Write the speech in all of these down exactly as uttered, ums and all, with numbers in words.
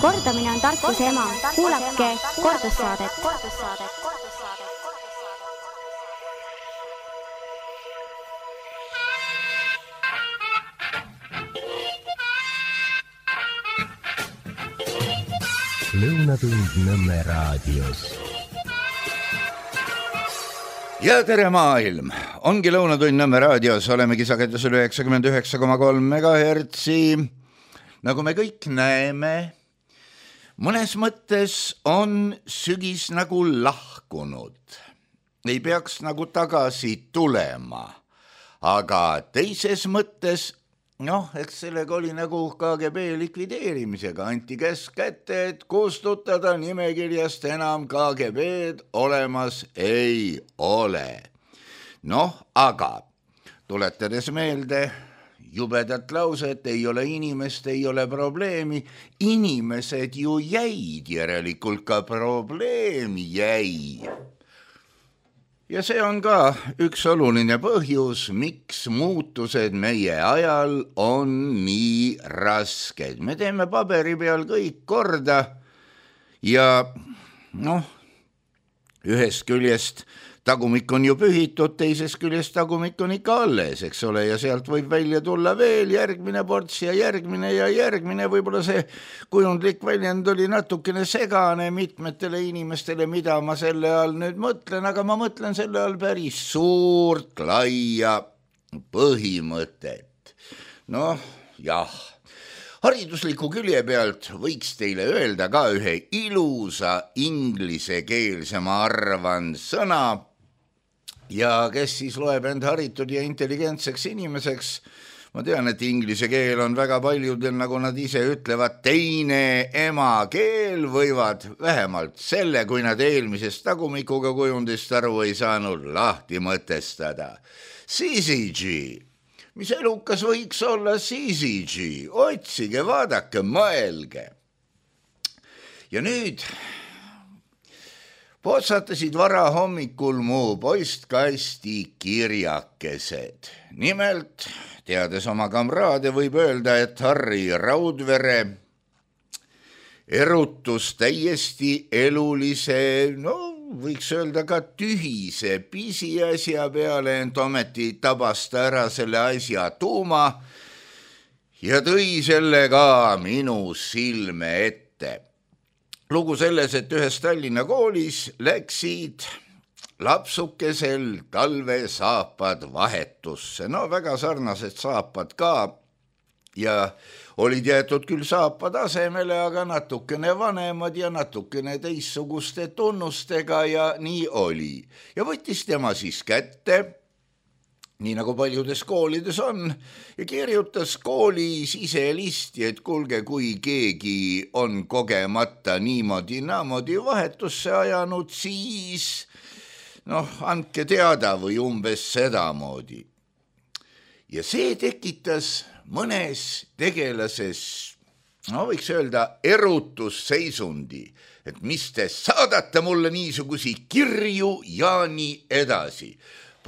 Kordamine on tarkuse ema. Kuulake kordussaadet. Lõunatund Nõmme raadios. Ja tere maailm! Ongi Lõunatund Nõmme raadios, olemegi sagedusel üheksakümmend üheksa koma kolm megahertsi. Nagu me kõik näeme, mõnes mõttes on sügis nagu lahkunud. Ei peaks nagu tagasi tulema. Aga teises mõttes, noh, eks sellega oli nagu K G B likvideerimisega. Anti käsk kätte, et kustutada nimekirjast enam K G B-d olemas ei ole. Noh, aga tuletades meelde jubedat lauset, ei ole inimest, ei ole probleemi. Inimesed ju jäid, järelikult ka probleem jäi. Ja see on ka üks oluline põhjus, miks muutused meie ajal on nii rasked. Me teeme paberi peal kõik korda ja noh, ühest küljest tagumik on ju pühitud, teises küljest tagumik on ikka alles, eks ole, ja sealt võib välja tulla veel järgmine ports ja järgmine ja järgmine. Võib-olla see kujundlik väljend oli natukene segane mitmetele inimestele, mida ma selle all nüüd mõtlen, aga ma mõtlen selle all päris suurt, laia põhimõtet. Noh, jah. Haridusliku külje pealt võiks teile öelda ka ühe ilusa inglisekeelse, ma arvan, sõna. Ja kes siis loeb end haritud ja intelligentseks inimeseks, ma tean, et inglise keel on väga paljudel, nagu nad ise ütlevad, teine emakeel, võivad vähemalt selle, kui nad eelmisest tagumikuga kujundist aru ei saanud, lahti mõtestada. C C G. Mis elukas võiks olla C C G? Otsige, vaadake, mõelge. Ja nüüd potsatasid vara hommikul mu postkasti kirjakesed. Nimelt, teades oma kamraade, võib öelda, et Harri Raudvere erutus täiesti elulise, no võiks öelda ka tühise pisiasja peale, ent ometi tabas ta ära selle asja tuuma ja tõi selle ka minu silme ette. Lugu selles, et ühes Tallinna koolis läksid lapsukesel talvesaapad vahetusse. No väga sarnased saapad ka ja olid jäetud küll saapad asemele, aga natukene vanemad ja natukene teissuguste tunnustega ja nii oli. Ja võttis tema siis kätte, nii nagu paljudes koolides on, ja kirjutas kooli siselisti, et kuulge, kui keegi on kogemata niimoodi naamodi vahetusse ajanud, siis noh, andke teada või umbes sedamoodi. Ja see tekitas mõnes tegelases, no võiks öelda, erutusseisundi, et mis te saadate mulle niisugusi kirju ja nii edasi.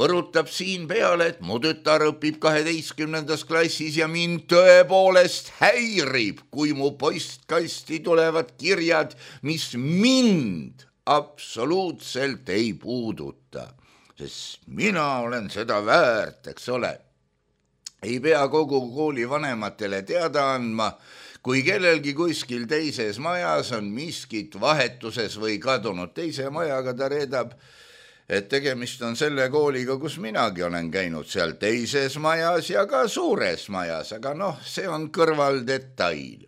Põrutab siin peale, et mu tütar õpib kaheteistkümnendas klassis ja mind tõepoolest häirib, kui mu postkasti tulevad kirjad, mis mind absoluutselt ei puuduta. Sest mina olen seda väärt, eks ole. Ei pea kogu kooli vanematele teada andma, kui kellelgi kuskil teises majas on miskit vahetuses või kadunud teise majaga, ta reedab, et tegemist on selle kooliga, kus minagi olen käinud seal teises majas ja ka suures majas, aga noh, see on kõrvaldetail.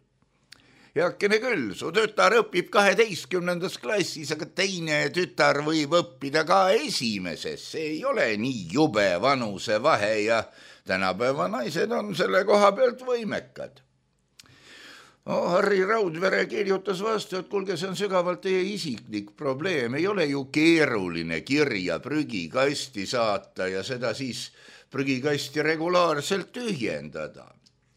Heakene küll, su tütar õpib kaheteistkümnendas klassis, aga teine tütar võib õppida ka esimeses. See ei ole nii jube vanuse vahe ja tänapäeva naised on selle koha pealt võimekad. Oh, Harri Raudvere kirjutas vastu, et kuulge, see on sügavalt teie isiklik probleem. Ei ole ju keeruline kirja prügikasti saata ja seda siis prügikasti regulaarselt tühjendada.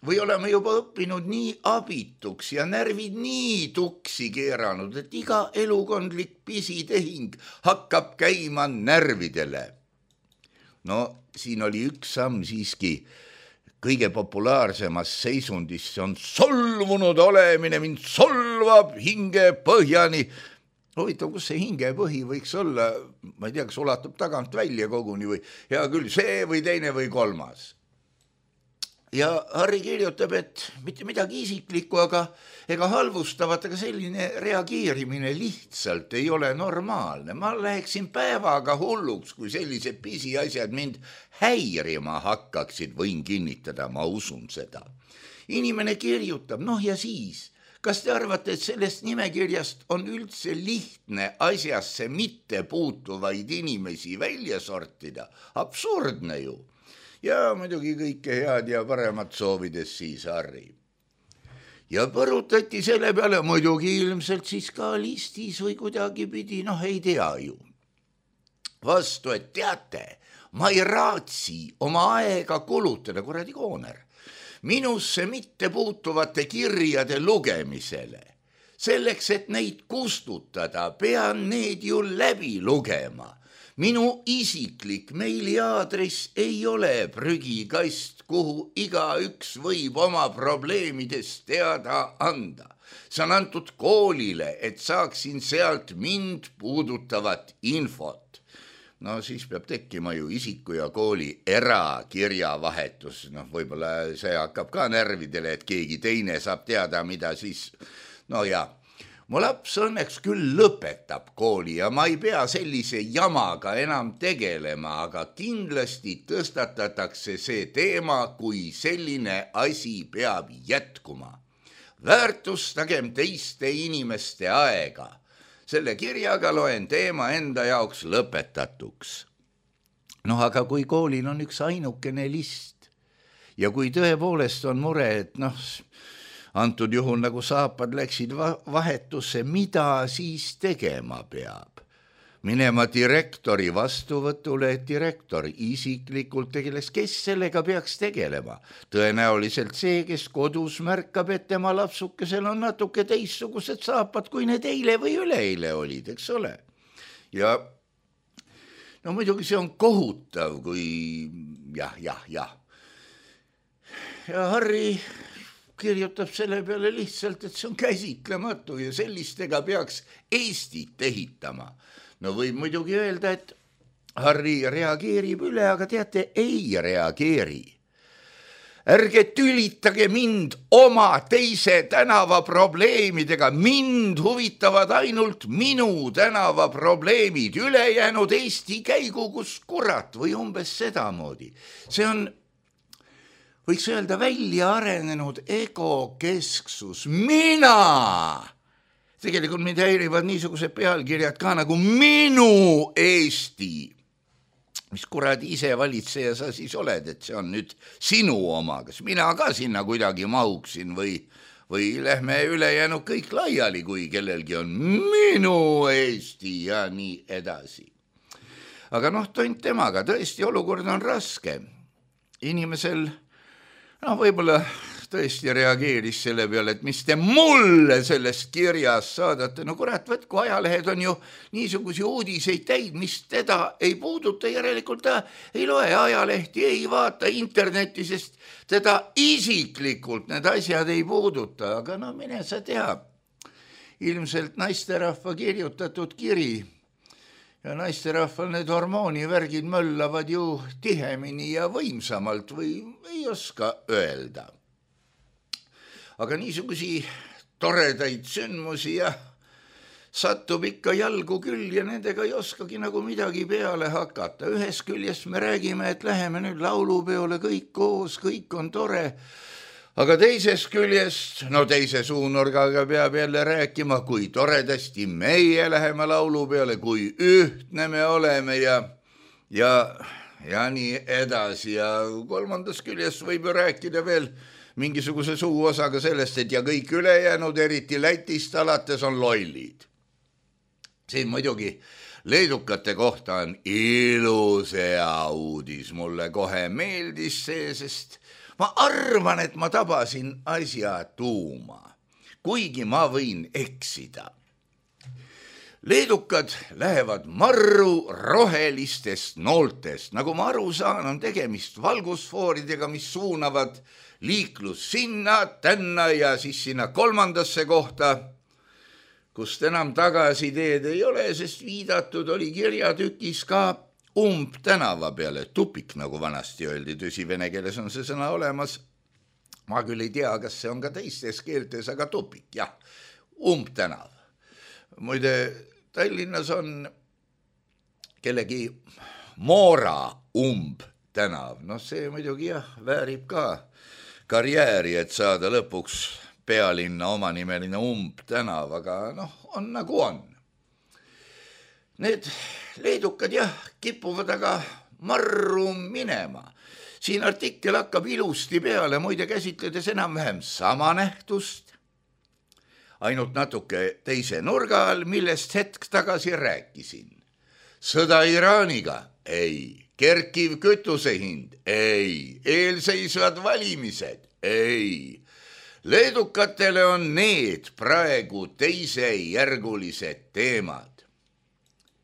Või oleme juba õppinud nii abituks ja närvid nii tuksi keeranud, et iga elukondlik pisitehing hakkab käima närvidele. No siin oli üks samm siiski kõige populaarsemas seisundis, see on solvunud olemine, mind solvab hinge põhjani. Huvitav, kus see hingepõhi võiks olla, ma ei tea, kas ulatub tagant välja koguni või hea küll, see või teine või kolmas. Ja Harri kirjutab, et mitte midagi isiklikku, aga ega halvustavat, aga selline reageerimine lihtsalt ei ole normaalne. Ma läheksin päevaga hulluks, kui sellised pisiasjad mind häirima hakkaksid, võin kinnitada, ma usun seda. Inimene kirjutab, noh ja siis... Kas te arvate, et sellest nimekirjast on üldse lihtne asjasse mitte puutuvaid inimesi välja sortida? Absurdne ju. Ja muidugi kõike head ja paremat soovides siis Harri. Ja põrutati selle peale muidugi ilmselt siis ka listis või kuidagi pidi, noh ei tea ju. Vastu, et teate, ma ei raatsi oma aega kulutada, kuradi kooner. Minusse mitte puutuvate kirjade lugemisele. Selleks, et neid kustutada, pean need ju läbi lugema. Minu isiklik meiliaadress ei ole prügikast, kuhu igaüks võib oma probleemidest teada anda. See on antud koolile, et saaksin sealt mind puudutavat infot. No siis peab tekkima ju isiku ja kooli erakirjavahetus. Noh, võib-olla see hakkab ka närvidele, et keegi teine saab teada, mida siis... No ja, mu laps õnneks küll lõpetab kooli ja ma ei pea sellise jamaga enam tegelema, aga kindlasti tõstatatakse see teema, kui selline asi peab jätkuma. Väärtustagem teiste inimeste aega. Selle kirjaga loen teema enda jaoks lõpetatuks. Noh, aga kui koolil on üks ainukene list ja kui tõepoolest on mure, et noh, antud juhul nagu saapad läksid vahetusse, mida siis tegema peab? Minema direktori vastuvõtule, et direktor isiklikult tegeles, kes sellega peaks tegelema. Tõenäoliselt see, kes kodus märkab, et tema lapsukesel on natuke teissugused saapad, kui need eile või üleeile olid, eks ole. Ja no muidugi see on kohutav, kui jah, jah, jah. Ja Harri kirjutab selle peale lihtsalt, et see on käsitlematu ja sellistega peaks Eestit ehitama. No võib muidugi öelda, et Harri reageerib üle, aga teate, ei reageeri. Ärge tülitage mind oma teise tänava probleemidega. Mind huvitavad ainult minu tänava probleemid. Ülejäänud Eesti käigu, kus kurat või umbes sedamoodi. See on, võiks öelda, välja arenenud egokesksus. Mina! Tegelikult mind häirivad niisugused pealkirjad ka nagu minu Eesti. Mis kuradi ise valitseja sa siis oled, et see on nüüd sinu oma, kas mina ka sinna kuidagi mahuksin või, või lähme ülejäänud kõik laiali, kui kellelgi on minu Eesti ja nii edasi. Aga noh, tont temaga, tõesti olukord on raske. Inimesel, noh võib-olla tõesti reageeris selle peale, et mis te mulle sellest kirjas saadate. No kurat, võtku, ajalehed on ju niisugusi uudiseid täid, mis teda ei puuduta, järelikult ta ei loe ajalehti, ei vaata internetti, sest teda isiklikult need asjad ei puuduta. Aga no mine sa tea, ilmselt naisterahva kirjutatud kiri ja naisterahval need hormoonivärgid möllavad ju tihemini ja võimsamalt või ei oska öelda. Aga niisugusi toredaid sündmusi ja satub ikka jalgu küll ja nendega ei oskagi nagu midagi peale hakata. Ühest küljest me räägime, et läheme nüüd laulupeole kõik koos, kõik on tore. Aga teisest küljest, no teise suunurgaga peab jälle rääkima, kui toredasti meie läheme laulupeole, kui ühtne me oleme ja, ja, ja nii edasi. Ja kolmandas küljest võib ju rääkida veel mingisuguse suuosaga sellest, et ja kõik ülejäänud, eriti Lätist alates, on lollid. Siin muidugi leedukate kohta on ilus hea uudis. Mulle kohe meeldis see, sest ma arvan, et ma tabasin asja tuuma, kuigi ma võin eksida. leedukad lähevad marru rohelistest nooltest. Nagu ma aru saan, on tegemist valgusfooridega, mis suunavad liiklus sinna, tänna ja siis sinna kolmandasse kohta, kust enam tagasiteed ei ole, sest viidatud oli kirjatükis ka umbtänava peale, tupik, nagu vanasti öeldi, tõsi, vene keeles on see sõna olemas. Ma küll ei tea, kas see on ka teistes keeltes, aga tupik, jah, umbtänav. Muide, Tallinnas on kellegi Moora umbtänav. No see muidugi jah, väärib ka karjääri, et saada lõpuks pealinna omanimeline umbtänav, aga noh, on nagu on. Need leedukad jah, kipuvad aga marru minema. Siin artikkel hakkab ilusti peale, muide käsitledes enam-vähem sama nähtust, ainult natuke teise nurga all, millest hetk tagasi rääkisin. Sõda Iraaniga? Ei. Kerkiv kütusehind? Ei. Eelseisvad valimised? Ei. Leedukatele on need praegu teisejärgulised teemad.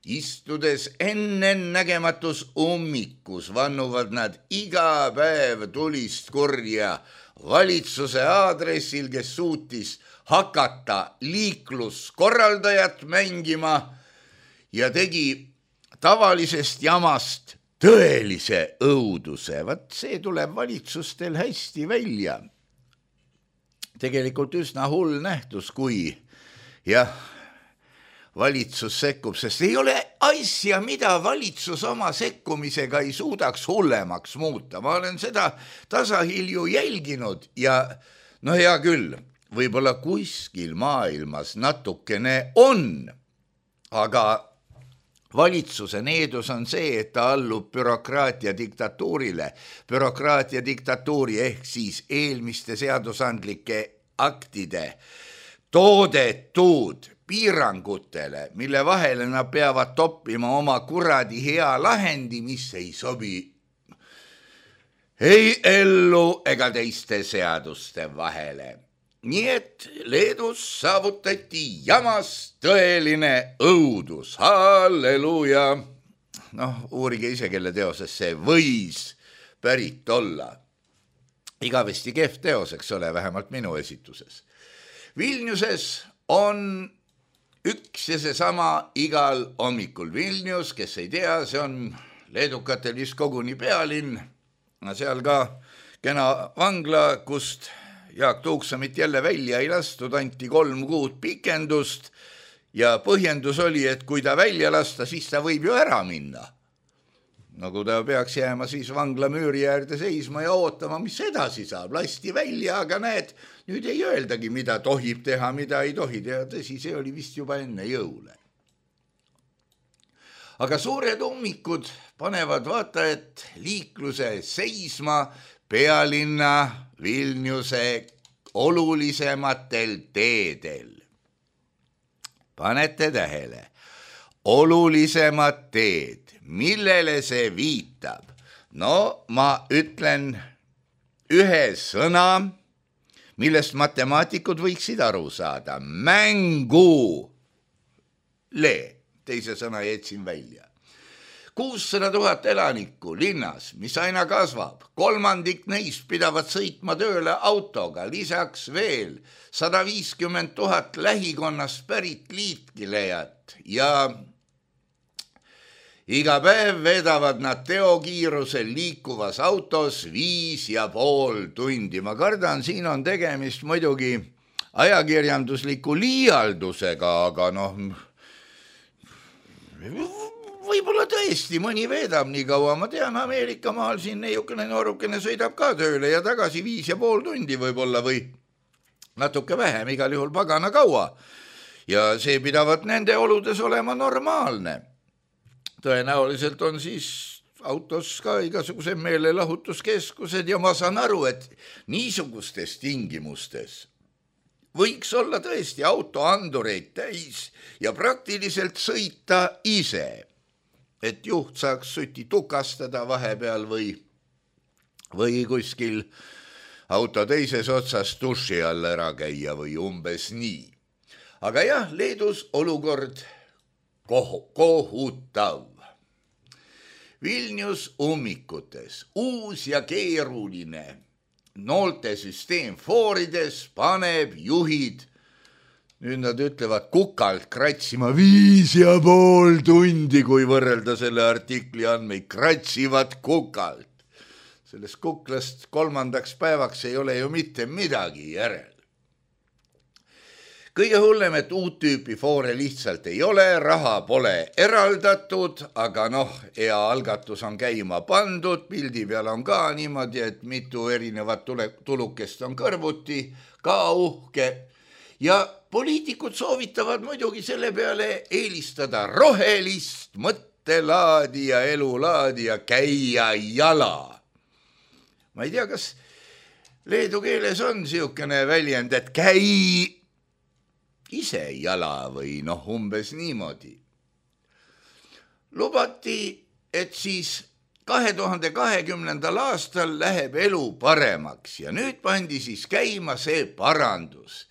Istudes ennennägematus ummikus vannuvad nad iga päev tulist kurja valitsuse aadressil, kes suutis hakata liikluskorraldajat mängima ja tegi tavalisest jamast tõelise õuduse. Vat see tuleb valitsustel hästi välja. Tegelikult üsna hull nähtus, kui jah, valitsus sekkub, sest ei ole asja, mida valitsus oma sekkumisega ei suudaks hullemaks muuta. Ma olen seda tasahilju jälginud ja no hea küll, võib-olla kuskil maailmas natukene on, aga valitsuse needus on see, et ta allub bürokraatia diktatuurile. Bürokraatia diktatuuri ehk siis eelmiste seadusandlike aktide toodetud piirangutele, mille vahele nad peavad toppima oma kuradi hea lahendi, mis ei sobi ei ellu ega teiste seaduste vahele. Nii et Leedus saavutati jamas tõeline õudus. Halleluuja! Noh, uurige ise, kelle teoses see võis pärit olla. Igavesti kehv teos, eks ole, vähemalt minu esituses. Vilniuses on üks ja see sama igal hommikul. Vilnius, kes ei tea, see on leedukatel vist koguni pealinn. Seal ka kena vangla, kust Jaak Tuuksamit jälle välja ei lastud, anti kolm kuud pikendust ja põhjendus oli, et kui ta välja lasta, siis ta võib ju ära minna. Nagu ta peaks jääma siis vangla müüri äärde seisma ja ootama, mis edasi saab. Lasti välja, aga näed, nüüd ei öeldagi, mida tohib teha, mida ei tohi teha. Tõsi, see oli vist juba enne jõule. Aga suured ummikud panevad vaatajat liikluse seisma pealinna Vilniuse olulisematel teedel. Panete tähele, olulisemad teed, millele see viitab? No ma ütlen ühe sõna, millest matemaatikud võiksid aru saada. Mängu. Le, teise sõna jätsin välja. kuussada tuhat elanikku linnas, mis aina kasvab, kolmandik neist pidavad sõitma tööle autoga, lisaks veel sada viiskümmend tuhat lähikonnast pärit liitkilejat ja iga päev vedavad nad teokiirusel liikuvas autos viis ja pool tundi. Ma kardan, siin on tegemist muidugi ajakirjandusliku liialdusega, aga noh, võib-olla tõesti mõni veedab nii kaua. Ma tean, Ameerika maal siin neiukene noorukene sõidab ka tööle ja tagasi viis ja pool tundi võib-olla või natuke vähem, igal juhul pagana kaua. Ja see pidavat nende oludes olema normaalne. Tõenäoliselt on siis autos ka igasuguse meelelahutuskeskused ja ma saan aru, et niisugustes tingimustes võiks olla tõesti autoandureid täis ja praktiliselt sõita ise, et juht saaks suti tukastada vahepeal või, või kuskil auto teises otsas duši all ära käia või umbes nii. Aga jah, Leedus olukord koh- kohutav. Vilnius ummikutes, uus ja keeruline nooltesüsteem foorides paneb juhid, nüüd nad ütlevad kukalt kratsima viis ja pool tundi, kui võrrelda selle artikli andmeid, kratsivad kukalt. Sellest kuklast kolmandaks päevaks ei ole ju mitte midagi järel. Kõige hullem, et uut tüüpi foore lihtsalt ei ole, raha pole eraldatud, aga noh, hea algatus on käima pandud, pildi peal on ka niimoodi, et mitu erinevat tulukest on kõrvuti, ka uhke. Ja poliitikud soovitavad muidugi selle peale eelistada rohelist mõttelaadi ja elulaadi ja käia jala. Ma ei tea, kas leedu keeles on siukene väljend, et käi ise jala või noh, umbes niimoodi. Lubati, et siis kahe tuhande kahekümnendal aastal läheb elu paremaks ja nüüd pandi siis käima see parandus.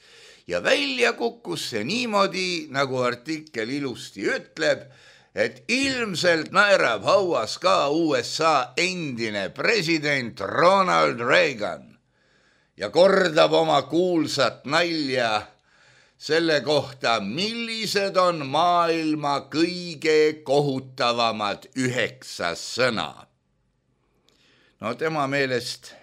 Ja välja kukkus see niimoodi, nagu artikkel ilusti ütleb, et ilmselt naerab hauas ka U S A endine president Ronald Reagan ja kordab oma kuulsat nalja selle kohta, millised on maailma kõige kohutavamad üheksa sõna. No tema meelest,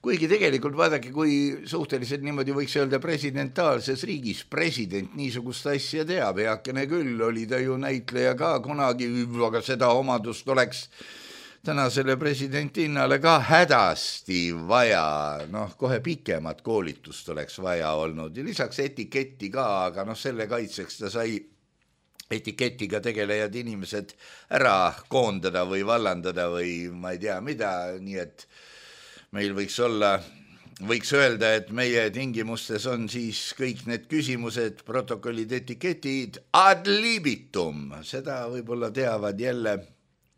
kuigi tegelikult vaadake, kui suhteliselt niimoodi võiks öelda presidentaalses riigis, president niisugust asja teab, heakene küll, oli ta ju näitleja ka kunagi, aga seda omadust oleks tänasele presidendinnale ka hädasti vaja, noh, kohe pikemat koolitust oleks vaja olnud ja lisaks etiketti ka, aga noh, selle kaitseks ta sai etiketiga tegelejad inimesed ära koondada või vallandada või ma ei tea mida, nii et meil võiks olla, võiks öelda, et meie tingimustes on siis kõik need küsimused, protokollid, etiketid ad libitum, seda võib-olla teavad jälle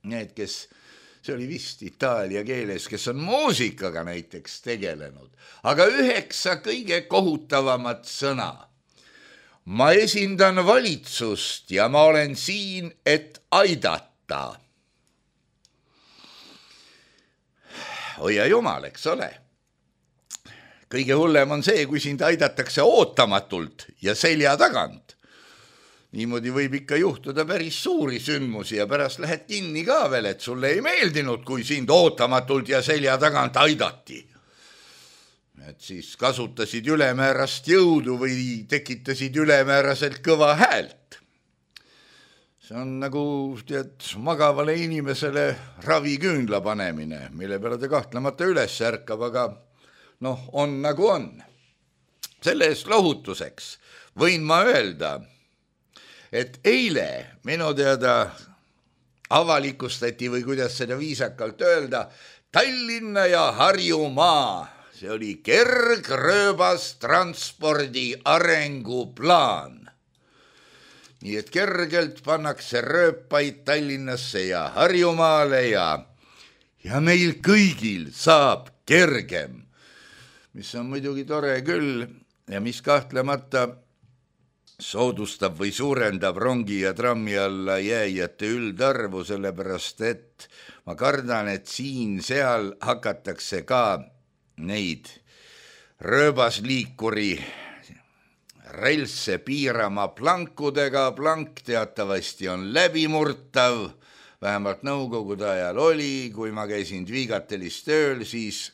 need, kes see oli vist itaalia keeles, kes on muusikaga näiteks tegelenud. Aga üheksa kõige kohutavamat sõna. Ma esindan valitsust ja ma olen siin, et aidata. Oja jumal, eks ole. Kõige hullem on see, kui sind aidatakse ootamatult ja selja tagant. Niimoodi võib ikka juhtuda päris suuri sündmusi ja pärast lähed kinni ka veel, et sulle ei meeldinud, kui sind ootamatult ja selja tagant aidati. Et siis kasutasid ülemäärast jõudu või tekitasid ülemääraselt kõva häält. See on nagu tead, magavale inimesele raviküünla panemine, mille peale ta kahtlemata üles ärkab, aga noh, on nagu on. Selle eest lohutuseks võin ma öelda, et eile minu teada avalikustati või kuidas seda viisakalt öelda, Tallinna ja Harjumaa, see oli kergrööbas transpordi arenguplaan. Nii et kergelt pannakse rööpaid Tallinnasse ja Harjumaale ja, ja meil kõigil saab kergem, mis on muidugi tore küll ja mis kahtlemata soodustab või suurendab rongi ja trammi alla jääjate üldarvu, sellepärast et ma kardan, et siin-seal hakatakse ka neid rööbasliikuri relsse piirama plankudega. Plank teatavasti on läbimurtav, vähemalt nõukogude ajal oli, kui ma käisin Dvigatelis tööl, siis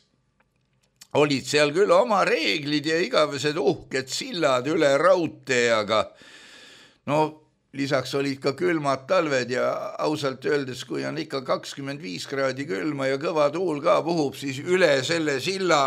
olid seal küll oma reeglid ja igavesed uhked sillad üle raudtee, aga no lisaks olid ka külmad talved ja ausalt öeldes, kui on ikka kakskümmend viis kraadi külma ja kõva tuul ka puhub, siis üle selle silla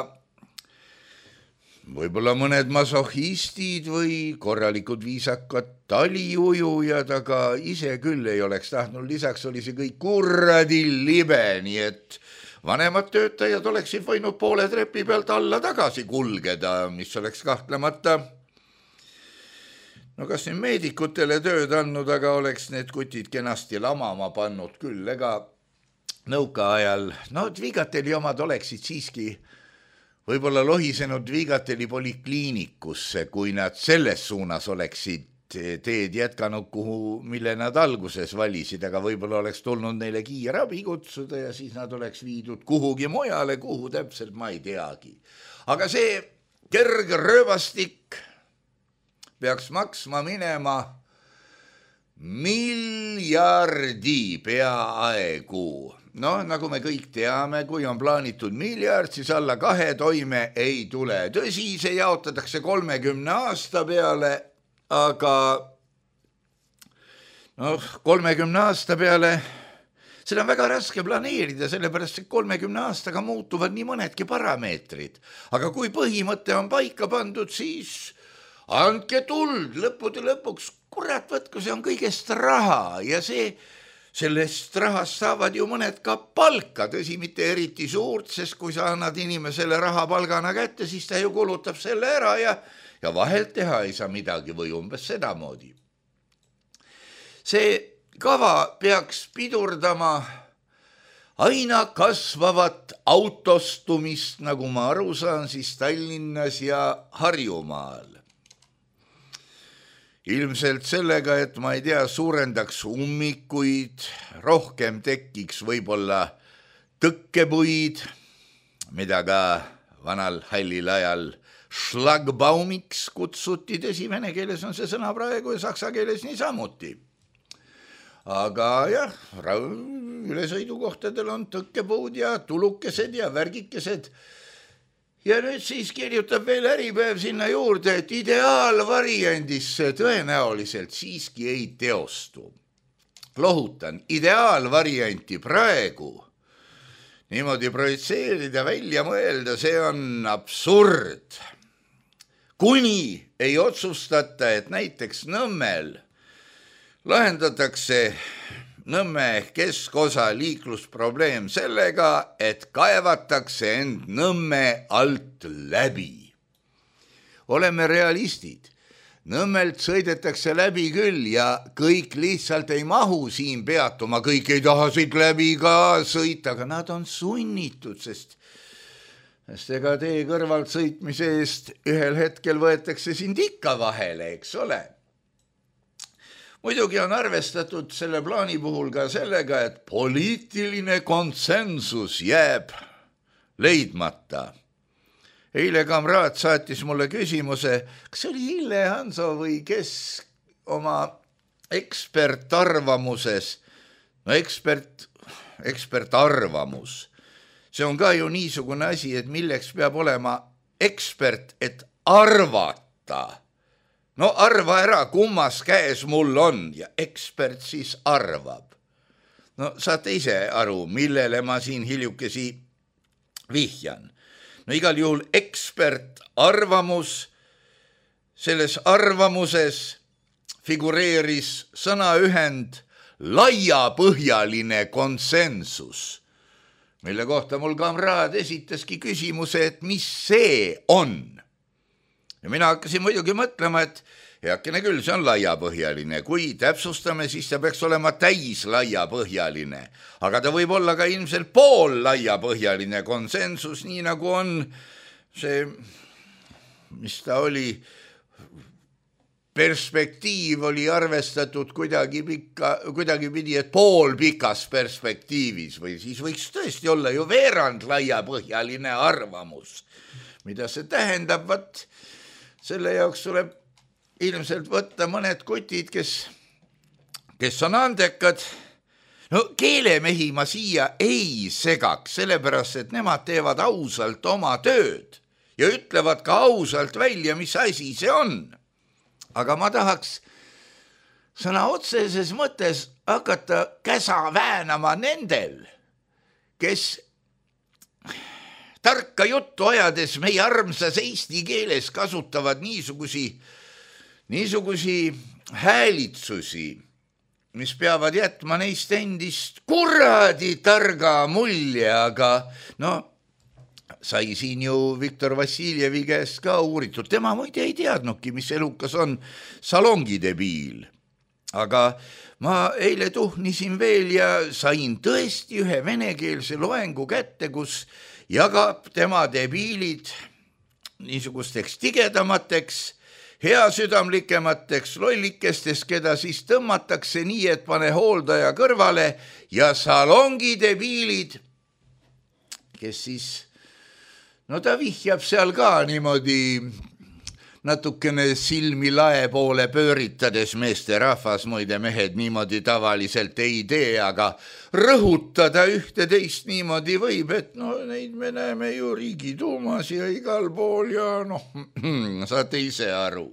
võib-olla mõned masohhistid või korralikud viisakad taliujujad, aga ise küll ei oleks tahtnud, lisaks oli see kõik kuradi libe, nii et vanemad töötajad oleksid võinud poole trepi pealt alla tagasi kulgeda, mis oleks kahtlemata, no kas nüüd meedikutele tööd andnud, aga oleks need kutid kenasti lamama pannud küll, ega nõukaajal, no Dvigateli omad oleksid siiski võib-olla lohisenud Dvigateli polikliinikusse, kui nad selles suunas oleksid teed jätkanud, kuhu, mille nad alguses valisid, aga võib-olla oleks tulnud neile kiirabi kutsuda ja siis nad oleks viidud kuhugi mujale, kuhu täpselt ma ei teagi. Aga see kerge rööbastik peaks maksma minema miljardi peaaegu. Noh, nagu me kõik teame, kui on plaanitud miljard, siis alla kahe toime ei tule. Tõsi, see jaotatakse kolmekümne aasta peale, aga noh, kolmekümne aasta peale seda on väga raske planeerida, sellepärast et kolmekümne aastaga muutuvad nii mõnedki parameetrid. Aga kui põhimõte on paika pandud, siis andke tuld lõppude lõpuks, kurat, võtku, see on kõigest raha ja see sellest rahast saavad ju mõned ka palka, tõsi, mitte eriti suurt, sest kui sa annad inimesele raha palgana kätte, siis ta ju kulutab selle ära ja, ja vahelt teha ei saa midagi või umbes sedamoodi. See kava peaks pidurdama aina kasvavat autostumist, nagu ma aru saan, siis Tallinnas ja Harjumaal. Ilmselt sellega, et ma ei tea, suurendaks ummikuid, rohkem tekiks võib-olla tõkkepuid, mida ka vanal hallil ajal Schlagbaumiks kutsuti, tõsi, vene keeles on see sõna praegu ja saksa keeles niisamuti. Aga jah, ülesõidukohtadel on tõkkepuud ja tulukesed ja värgikesed. Ja nüüd siis kirjutab veel Äripäev sinna juurde, et ideaalvariandis tõenäoliselt siiski ei teostu. Lohutan, ideaalvarianti praegu niimoodi projitseerida, välja mõelda, see on absurd. Kuni ei otsustata, et näiteks Nõmmel lahendatakse Nõmme keskosa liiklusprobleem sellega, et kaevatakse end Nõmme alt läbi. Oleme realistid. Nõmmelt sõidetakse läbi küll ja kõik lihtsalt ei mahu siin peatuma, kõik ei taha siit läbi ka sõita, aga nad on sunnitud, sest, sest ega tee kõrvalt sõitmise eest ühel hetkel võetakse sind ikka vahele, eks ole. Muidugi on arvestatud selle plaani puhul ka sellega, et poliitiline konsensus jääb leidmata. Eile kamraad saatis mulle küsimuse, kas oli Ille Hanso või kes oma ekspertarvamuses, no ekspert, ekspertarvamus, see on ka ju niisugune asi, et milleks peab olema ekspert, et arvata. No arva ära, kummas käes mul on ja ekspert siis arvab. No saate ise aru, millele ma siin hiljukesi vihjan. No igal juhul ekspert arvamus, selles arvamuses figureeris sõnaühend laiapõhjaline konsensus, mille kohta mul kamraad esitaski küsimuse, et mis see on. Ja mina hakkasin muidugi mõtlema, et heakene küll, see on laiapõhjaline. Kui täpsustame, siis ta peaks olema täis laiapõhjaline. Aga ta võib olla ka ilmselt pool laiapõhjaline konsensus, nii nagu on see, mis ta oli, perspektiiv oli arvestatud kuidagi, pikka, kuidagi pidi, et pool pikas perspektiivis või siis võiks tõesti olla ju veerand laiapõhjaline arvamus. Mida see tähendab, vat selle jaoks tuleb ilmselt võtta mõned kutid, kes, kes on andekad. No keelemehi ma siia ei segaks, sellepärast, et nemad teevad ausalt oma tööd ja ütlevad ka ausalt välja, mis asi see on. Aga ma tahaks sõna otseses mõttes hakata käsa väänama nendel, kes tarka juttu ajades meie armsas eesti keeles kasutavad niisugusi, niisugusi häälitsusi, mis peavad jätma neist endist kuradi targa mulje, aga no sai siin ju Viktor Vassiljevi käest ka uuritud. Tema muide ei teadnudki, mis elukas on salongidebiil. Aga ma eile tuhnisin veel ja sain tõesti ühe venekeelse loengu kätte, kus jagab tema debiilid niisugusteks tigedamateks hea südamlikemateks lollikestest, keda siis tõmmatakse nii, et pane hooldaja kõrvale ja salongi debiilid, kes siis, no ta vihjab seal ka niimoodi natukene silmi lae poole pööritades, meeste rahvas, muide mehed niimoodi tavaliselt ei tee, aga rõhutada ühte teist niimoodi võib, et no neid me näeme ju Riigiduumas ja igal pool ja noh, saate ise aru.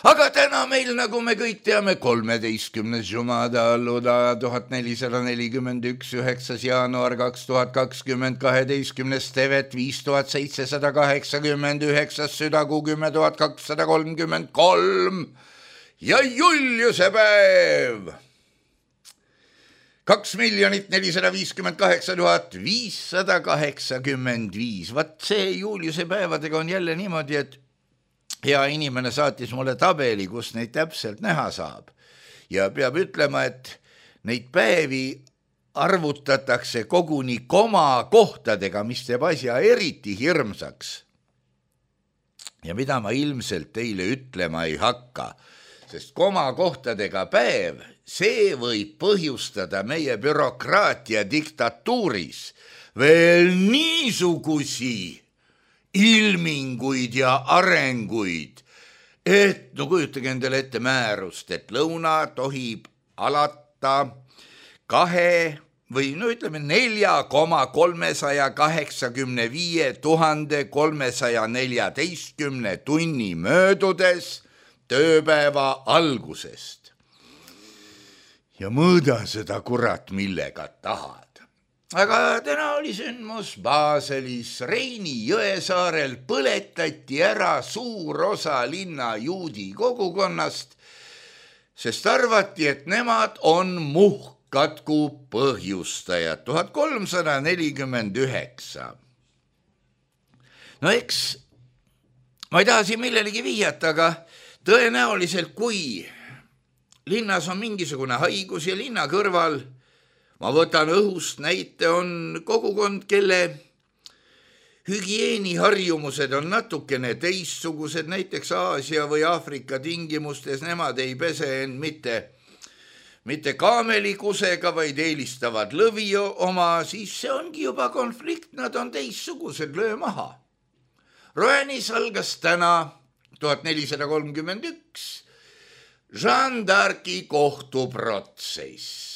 Aga täna meil, nagu me kõik teame, kolmeteistkümnes Jumada alluda tuhat nelisada nelikümmend üks, üheksas jaanuar kaks tuhat kakskümmend, kaheteistkümnes tevet viis tuhat seitsesada kaheksakümmend, üheksas südakuu kümme tuhat kakssada kolmkümmend kolm ja Juliuse päev. kaks miljonit nelisada viiskümmend kaheksa tuhat viissada kaheksakümmend viis. Vat see Juliuse päevadega on jälle niimoodi, et hea inimene saatis mulle tabeli, kus neid täpselt näha saab. Ja peab ütlema, et neid päevi arvutatakse koguni koma kohtadega, mis teeb asja eriti hirmsaks. Ja mida ma ilmselt teile ütlema ei hakka, sest koma kohtadega päev, see võib põhjustada meie bürokraatia diktatuuris veel niisugusi ilminguid ja arenguid, et no kujutage endale ette määrust, et lõuna tohib alata kahe või no ütleme nelja koma kolmesaja kaheksakümne viie tuhande kolmesaja neljateistkümne tunni möödudes tööpäeva algusest. Ja mõõda seda kurat millega tahad. Aga täna oli sündmus Baselis, Reini Jõesaarel põletati ära suur osa linna juudi kogukonnast, sest arvati, et nemad on muhkatku põhjustajad. tuhat kolmsada nelikümmend üheksa. No eks, ma ei taha siin millelegi viiata, aga tõenäoliselt kui linnas on mingisugune haigus ja linna kõrval, ma võtan õhust näite, on kogukond, kelle hügieeniharjumused on natukene teistsugused, näiteks Aasia või Aafrika tingimustes, nemad ei pese end mitte, mitte kaamelikusega, vaid eelistavad lõvi oma, siis see ongi juba konflikt, nad on teistsugused, löö maha. Roenis algas täna tuhat nelisada kolmkümmend üks Jeanne d'Arci kohtuprotsess.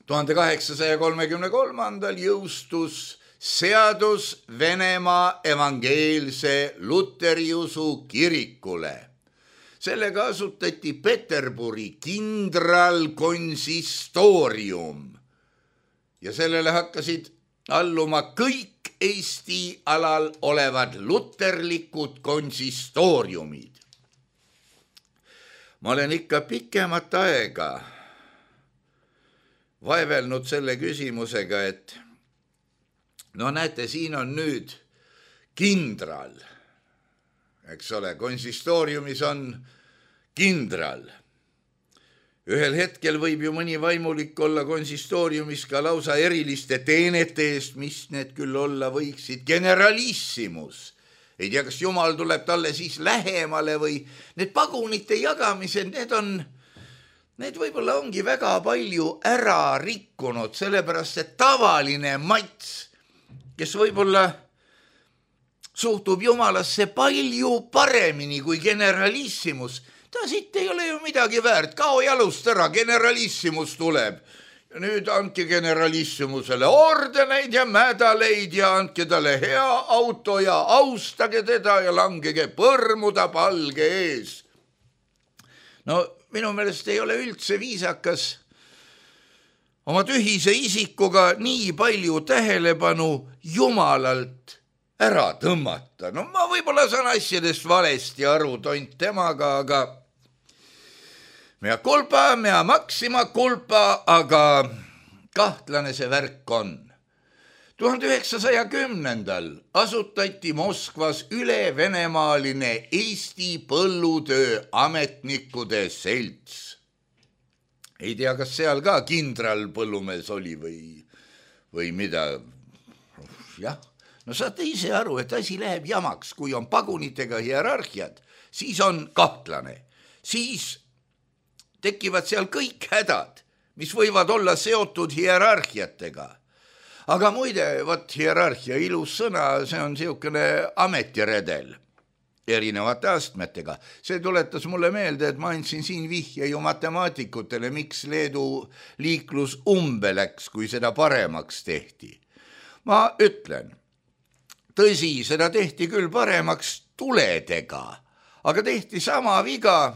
tuhande kaheksasaja kolmekümne kolmandal jõustus seadus Venemaa evangeelse luteriusu kirikule. Sellega asutati Peterburi kindralkonsistoorium ja sellele hakkasid alluma kõik Eesti alal olevad luterlikud konsistooriumid. Ma olen ikka pikemat aega vaevelnud selle küsimusega, et no näete, siin on nüüd kindral, eks ole, konsistooriumis on kindral. Ühel hetkel võib ju mõni vaimulik olla konsistooriumis ka lausa eriliste teenete eest, mis need küll olla võiksid, generalissimus. Ei tea, kas Jumal tuleb talle siis lähemale või need pagunite jagamised, need on Need võib-olla ongi väga palju ära rikkunud, sellepärast et tavaline mats, kes võib-olla suhtub Jumalasse palju paremini kui generalissimus, ta siit ei ole ju midagi väärt, kao jalust ära, generalissimus tuleb. Ja nüüd andke generalissimusele ordeneid ja mädaleid ja andke talle hea auto ja austage teda ja langege põrmuda palge ees. No minu meelest ei ole üldse viisakas oma tühise isikuga nii palju tähelepanu Jumalalt ära tõmmata. No ma võib-olla saan asjadest valesti aru tont temaga, aga mea culpa, mea maxima culpa, aga kahtlane see värk on. tuhande üheksasaja kümnendal asutati Moskvas ülevenemaaline Eesti põllutöö ametnikude selts. Ei tea, kas seal ka kindral põllumees oli või, või mida. Jah, no saate ise aru, et asi läheb jamaks, kui on pagunitega hierarhiad, siis on kahtlane, siis tekivad seal kõik hädad, mis võivad olla seotud hierarhiatega. Aga muide, võt hierarhia ilus sõna, see on siukene ametiredel erinevate astmetega. See tuletas mulle meelde, et ma andsin siin vihje ju matemaatikutele, miks Leedu liiklus umbe läks, kui seda paremaks tehti. Ma ütlen, tõsi, seda tehti küll paremaks tuledega, aga tehti sama viga,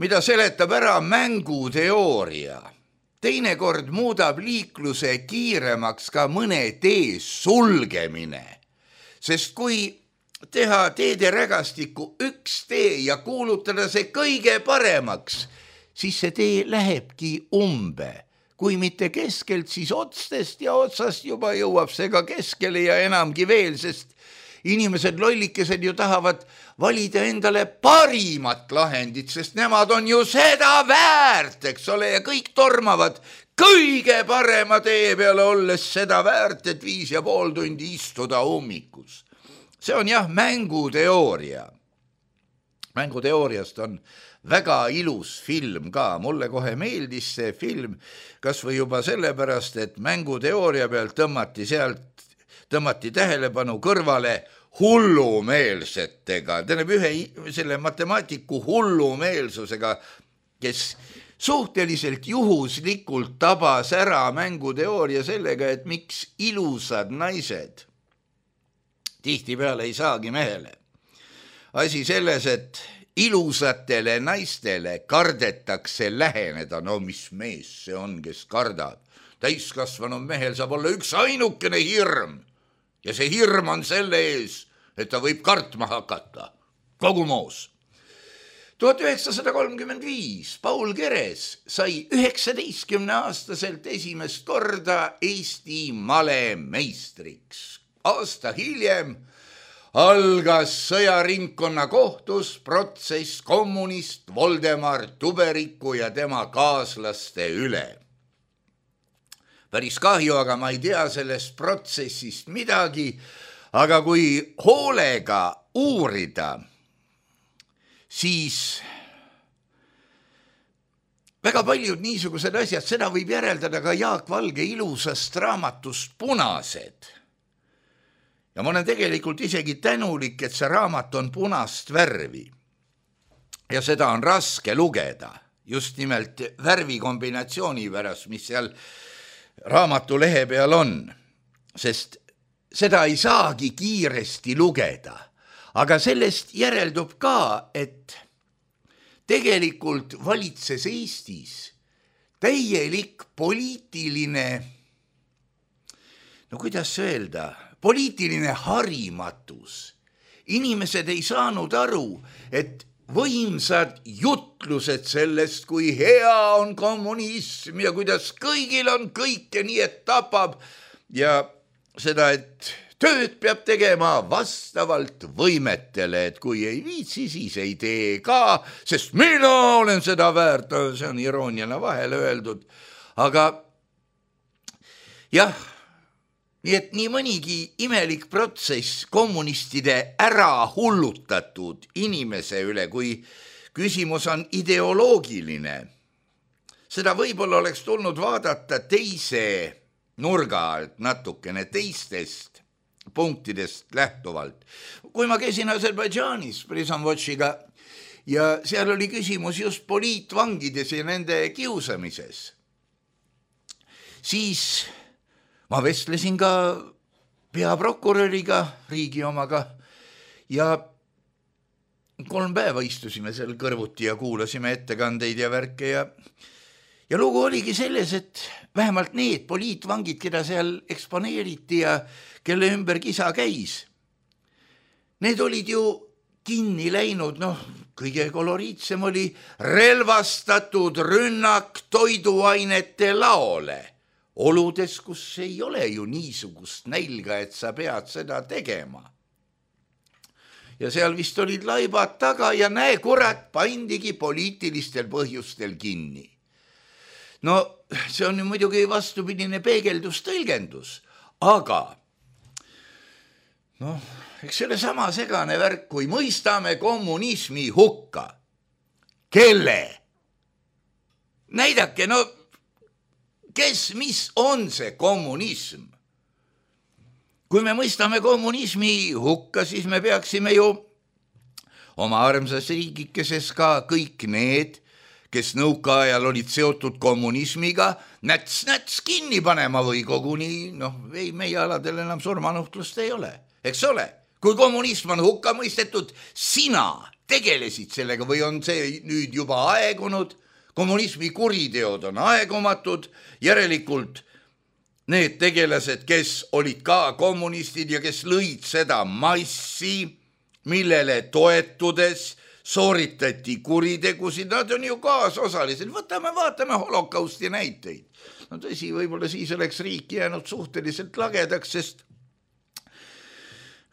mida seletab ära mänguteooria. Teinekord muudab liikluse kiiremaks ka mõne tee sulgemine, sest kui teha teede rägastikku üks tee ja kuulutada see kõige paremaks, siis see tee lähebki umbe. Kui mitte keskelt, siis otstest ja otsast juba jõuab see ka keskele ja enamgi veel, sest inimesed lollikesed ju tahavad valida endale parimat lahendit, sest nemad on ju seda väärt, eks ole, ja kõik tormavad kõige parema tee peale olles seda väärt, et viis ja pool tundi istuda ummikus. See on jah mänguteooria. Mänguteooriast on väga ilus film ka. Mulle kohe meeldis see film, kas või juba sellepärast, et mänguteooria pealt tõmmati sealt, tõmmati tähelepanu kõrvale hullumeelsetega. Tähendab ühe selle matemaatiku hullumeelsusega, kes suhteliselt juhuslikult tabas ära mänguteooria sellega, et miks ilusad naised tihtipeale ei saagi mehele. Asi selles, et ilusatele naistele kardetakse läheneda. No mis mees see on, kes kardab? Täiskasvanud mehel saab olla üks ainukene hirm. Ja see hirm on selle ees, et ta võib kartma hakata. Kogu moos. tuhat üheksasada kolmkümmend viis Paul Keres sai üheksateistkümne aastaselt esimest korda Eesti malemeistriks. Aasta hiljem algas sõjaringkonna kohtus protsess kommunist Voldemar Tuberiku ja tema kaaslaste üle. Päris kahju, aga ma ei tea sellest protsessist midagi, aga kui hoolega uurida, siis väga paljud niisugused asjad, seda võib järeldada ka Jaak Valge ilusast raamatust Punased. Ja ma olen tegelikult isegi tänulik, et see raamat on punast värvi. Ja seda on raske lugeda, just nimelt värvikombinatsiooni pärast, mis seal raamatu lehe peal on, sest seda ei saagi kiiresti lugeda. Aga sellest järeldub ka, et tegelikult valitses Eestis täielik poliitiline, no kuidas öelda, poliitiline harimatus. Inimesed ei saanud aru, et võimsad jutlused sellest, kui hea on kommunism ja kuidas kõigil on kõike nii, et tapab ja seda, et tööd peab tegema vastavalt võimetele, et kui ei viitsi, siis ei tee ka, sest mina olen seda väärt, see on irooniana vahele öeldud, aga jah, nii et nii mõnigi imelik protsess kommunistide ära hullutatud inimese üle, kui küsimus on ideoloogiline. Seda võib-olla oleks tulnud vaadata teise nurga alt natukene teistest punktidest lähtuvalt. Kui ma käisin Aserbaidžaanis Prison Watchiga ja seal oli küsimus just poliitvangides ja nende kiusamises, siis ma vestlesin ka peaprokuröriga, riigi omaga, ja kolm päeva istusime seal kõrvuti ja kuulasime ettekandeid ja värke ja, ja lugu oligi selles, et vähemalt need poliitvangid, keda seal eksponeeriti ja kelle ümber kisa käis, need olid ju kinni läinud, noh, kõige koloriitsem oli relvastatud rünnak toiduainete laole. Oludes, kus ei ole ju niisugust nälga, et sa pead seda tegema. Ja seal vist olid laibad taga ja näe, kurat, pandigi poliitilistel põhjustel kinni. No see on ju muidugi vastupidine peegeldustõlgendus, aga noh, eks selle sama segane värk, kui mõistame kommunismi hukka. Kelle? Näidake, no kes, mis on see kommunism? Kui me mõistame kommunismi hukka, siis me peaksime ju oma armsas riigikeses ka kõik need, kes nõukaajal olid seotud kommunismiga, näts-näts kinni panema või koguni, noh, ei, meie aladel enam surmanuhtlust ei ole, eks ole. Kui kommunism on hukka mõistetud, sina tegelesid sellega või on see nüüd juba aegunud, kommunismi kuriteod on aegumatud, järelikult need tegelased, kes olid ka kommunistid ja kes lõid seda massi, millele toetudes sooritati kuritegusid, nad on ju kaasosalised. Võtame, vaatame holokausti näiteid. No tõsi, võib-olla siis oleks riik jäänud suhteliselt lagedaks, sest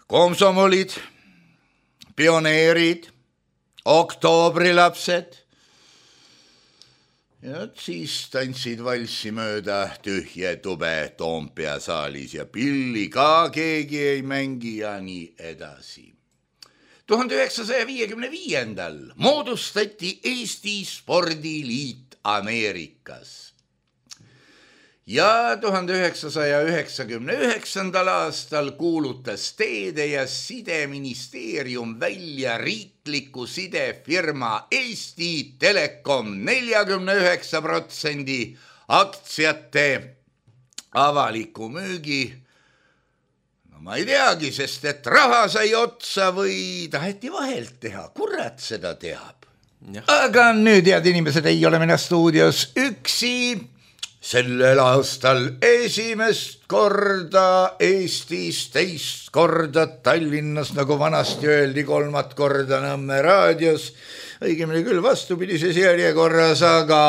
komsomolid, pioneerid, oktoobrilapsed, ja siis tantsid valssi mööda tühje tube Toompea saalis ja pilli ka keegi ei mängi ja nii edasi. tuhande üheksasaja viiekümne viiendal moodustati Eesti Spordiliit Ameerikas ja tuhande üheksasaja üheksakümne üheksandal aastal kuulutas Teede- ja Sideministeerium välja riikliku sidefirma Eesti Telekom neljakümne üheksa protsendi aktsiate avaliku müügi. No ma ei teagi, sest et raha sai otsa või taheti vahelt teha, kurat seda teab. Ja. Aga nüüd, head inimesed, ei ole mina stuudios üksi. Sellel aastal esimest korda Eestis, teist korda Tallinnas, nagu vanasti öeldi, kolmat korda Nõmme raadios, õigemini küll vastupidises järjekorras, aga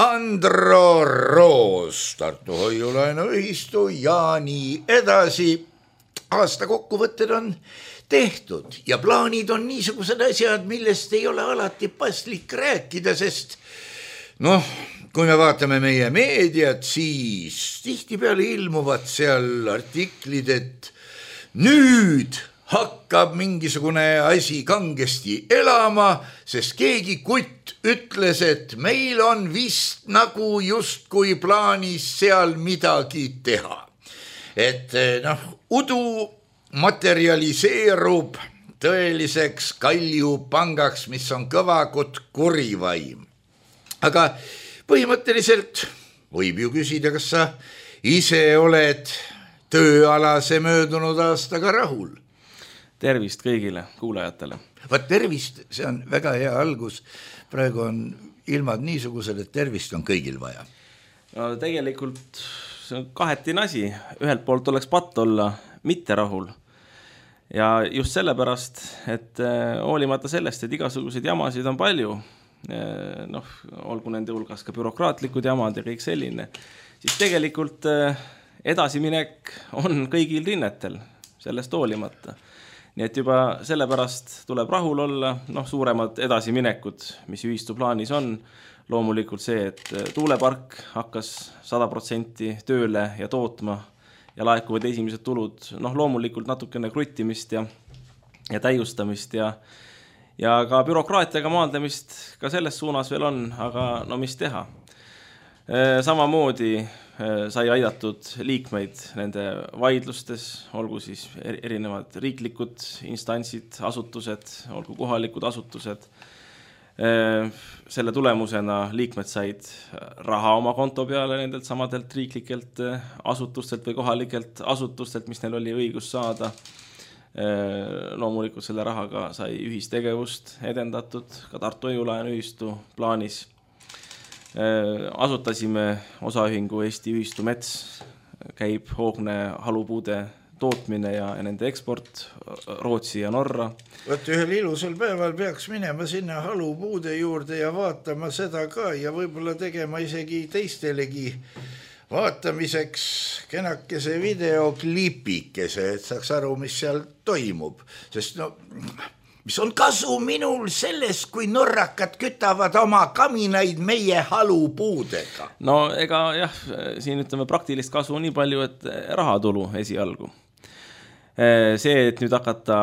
Andro Roos, Tartu Hoiulaenuühistu ja nii edasi. Aasta kokkuvõtted on tehtud ja plaanid on niisugused asjad, millest ei ole alati paslik rääkida, sest noh, kui me vaatame meie meediat, siis tihtipeale ilmuvad seal artiklid, et nüüd hakkab mingisugune asi kangesti elama, sest keegi kutt ütles, et meil on vist nagu justkui plaanis seal midagi teha. Et noh, udu materialiseerub tõeliseks kaljupangaks, mis on kõvakut kurivaim. Aga põhimõtteliselt võib ju küsida, kas sa ise oled tööalase möödunud aastaga rahul? Tervist kõigile kuulajatele. Vaat tervist, see on väga hea algus. Praegu on ilmad niisugused, et tervist on kõigil vaja. No, tegelikult see on kahetine asi. Ühelt poolt oleks patt olla mitte rahul. Ja just sellepärast, et hoolimata sellest, et igasuguseid jamasid on palju, noh, olgu nende hulgas ka bürokraatlikud jamad ja kõik selline, siis tegelikult edasiminek on kõigil rinnetel, sellest hoolimata. Nii et juba sellepärast tuleb rahul olla, noh, suuremad edasiminekud, mis ühistu plaanis on, loomulikult see, et tuulepark hakkas sada protsenti tööle ja tootma ja laekuvad esimesed tulud, noh, loomulikult natukene kruttimist ja, ja täiustamist ja Ja ka bürokraatiaga maandamist ka selles suunas veel on, aga no mis teha. Samamoodi sai aidatud liikmeid nende vaidlustes, olgu siis erinevad riiklikud instantsid, asutused, olgu kohalikud asutused. Selle tulemusena liikmed said raha oma konto peale nendelt samadelt riiklikelt asutustelt või kohalikelt asutustelt, mis neil oli õigus saada. Loomulikult selle rahaga sai ühistegevust edendatud, ka Tartu Hoiulaenuühistu plaanis. Asutasime osaühingu Eesti Ühistu Mets, käib hoogne halupuude tootmine ja nende eksport Rootsi ja Norra. Võt ühel ilusal päeval peaks minema sinna halupuude juurde ja vaatama seda ka ja võib-olla tegema isegi teistelegi vaatamiseks kenakese videoklipikese, et saaks aru, mis seal toimub. Sest no, mis on kasu minul sellest, kui norrakad kütavad oma kaminaid meie halupuudega? No ega jah, siin ütleme praktilist kasu nii palju, et rahatulu esialgu. see, et nüüd hakata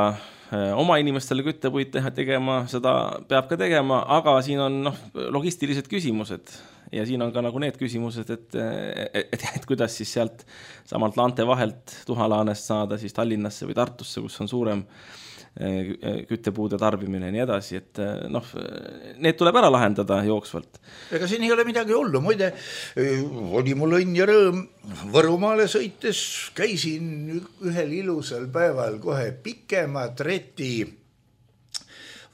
oma inimestele küttepuid teha, tegema, seda peab ka tegema, aga siin on noh, logistilised küsimused ja siin on ka nagu need küsimused, et, et, et, et kuidas siis sealt samalt laante vahelt Tuhalaanest saada siis Tallinnasse või Tartusse, kus on suurem küttepuude tarbimine ja nii edasi, et noh, need tuleb ära lahendada jooksvalt. Ega siin ei ole midagi hullu, muide, oli mul õnn ja rõõm Võrumaale sõites, käisin ühel ilusal päeval kohe pikema treti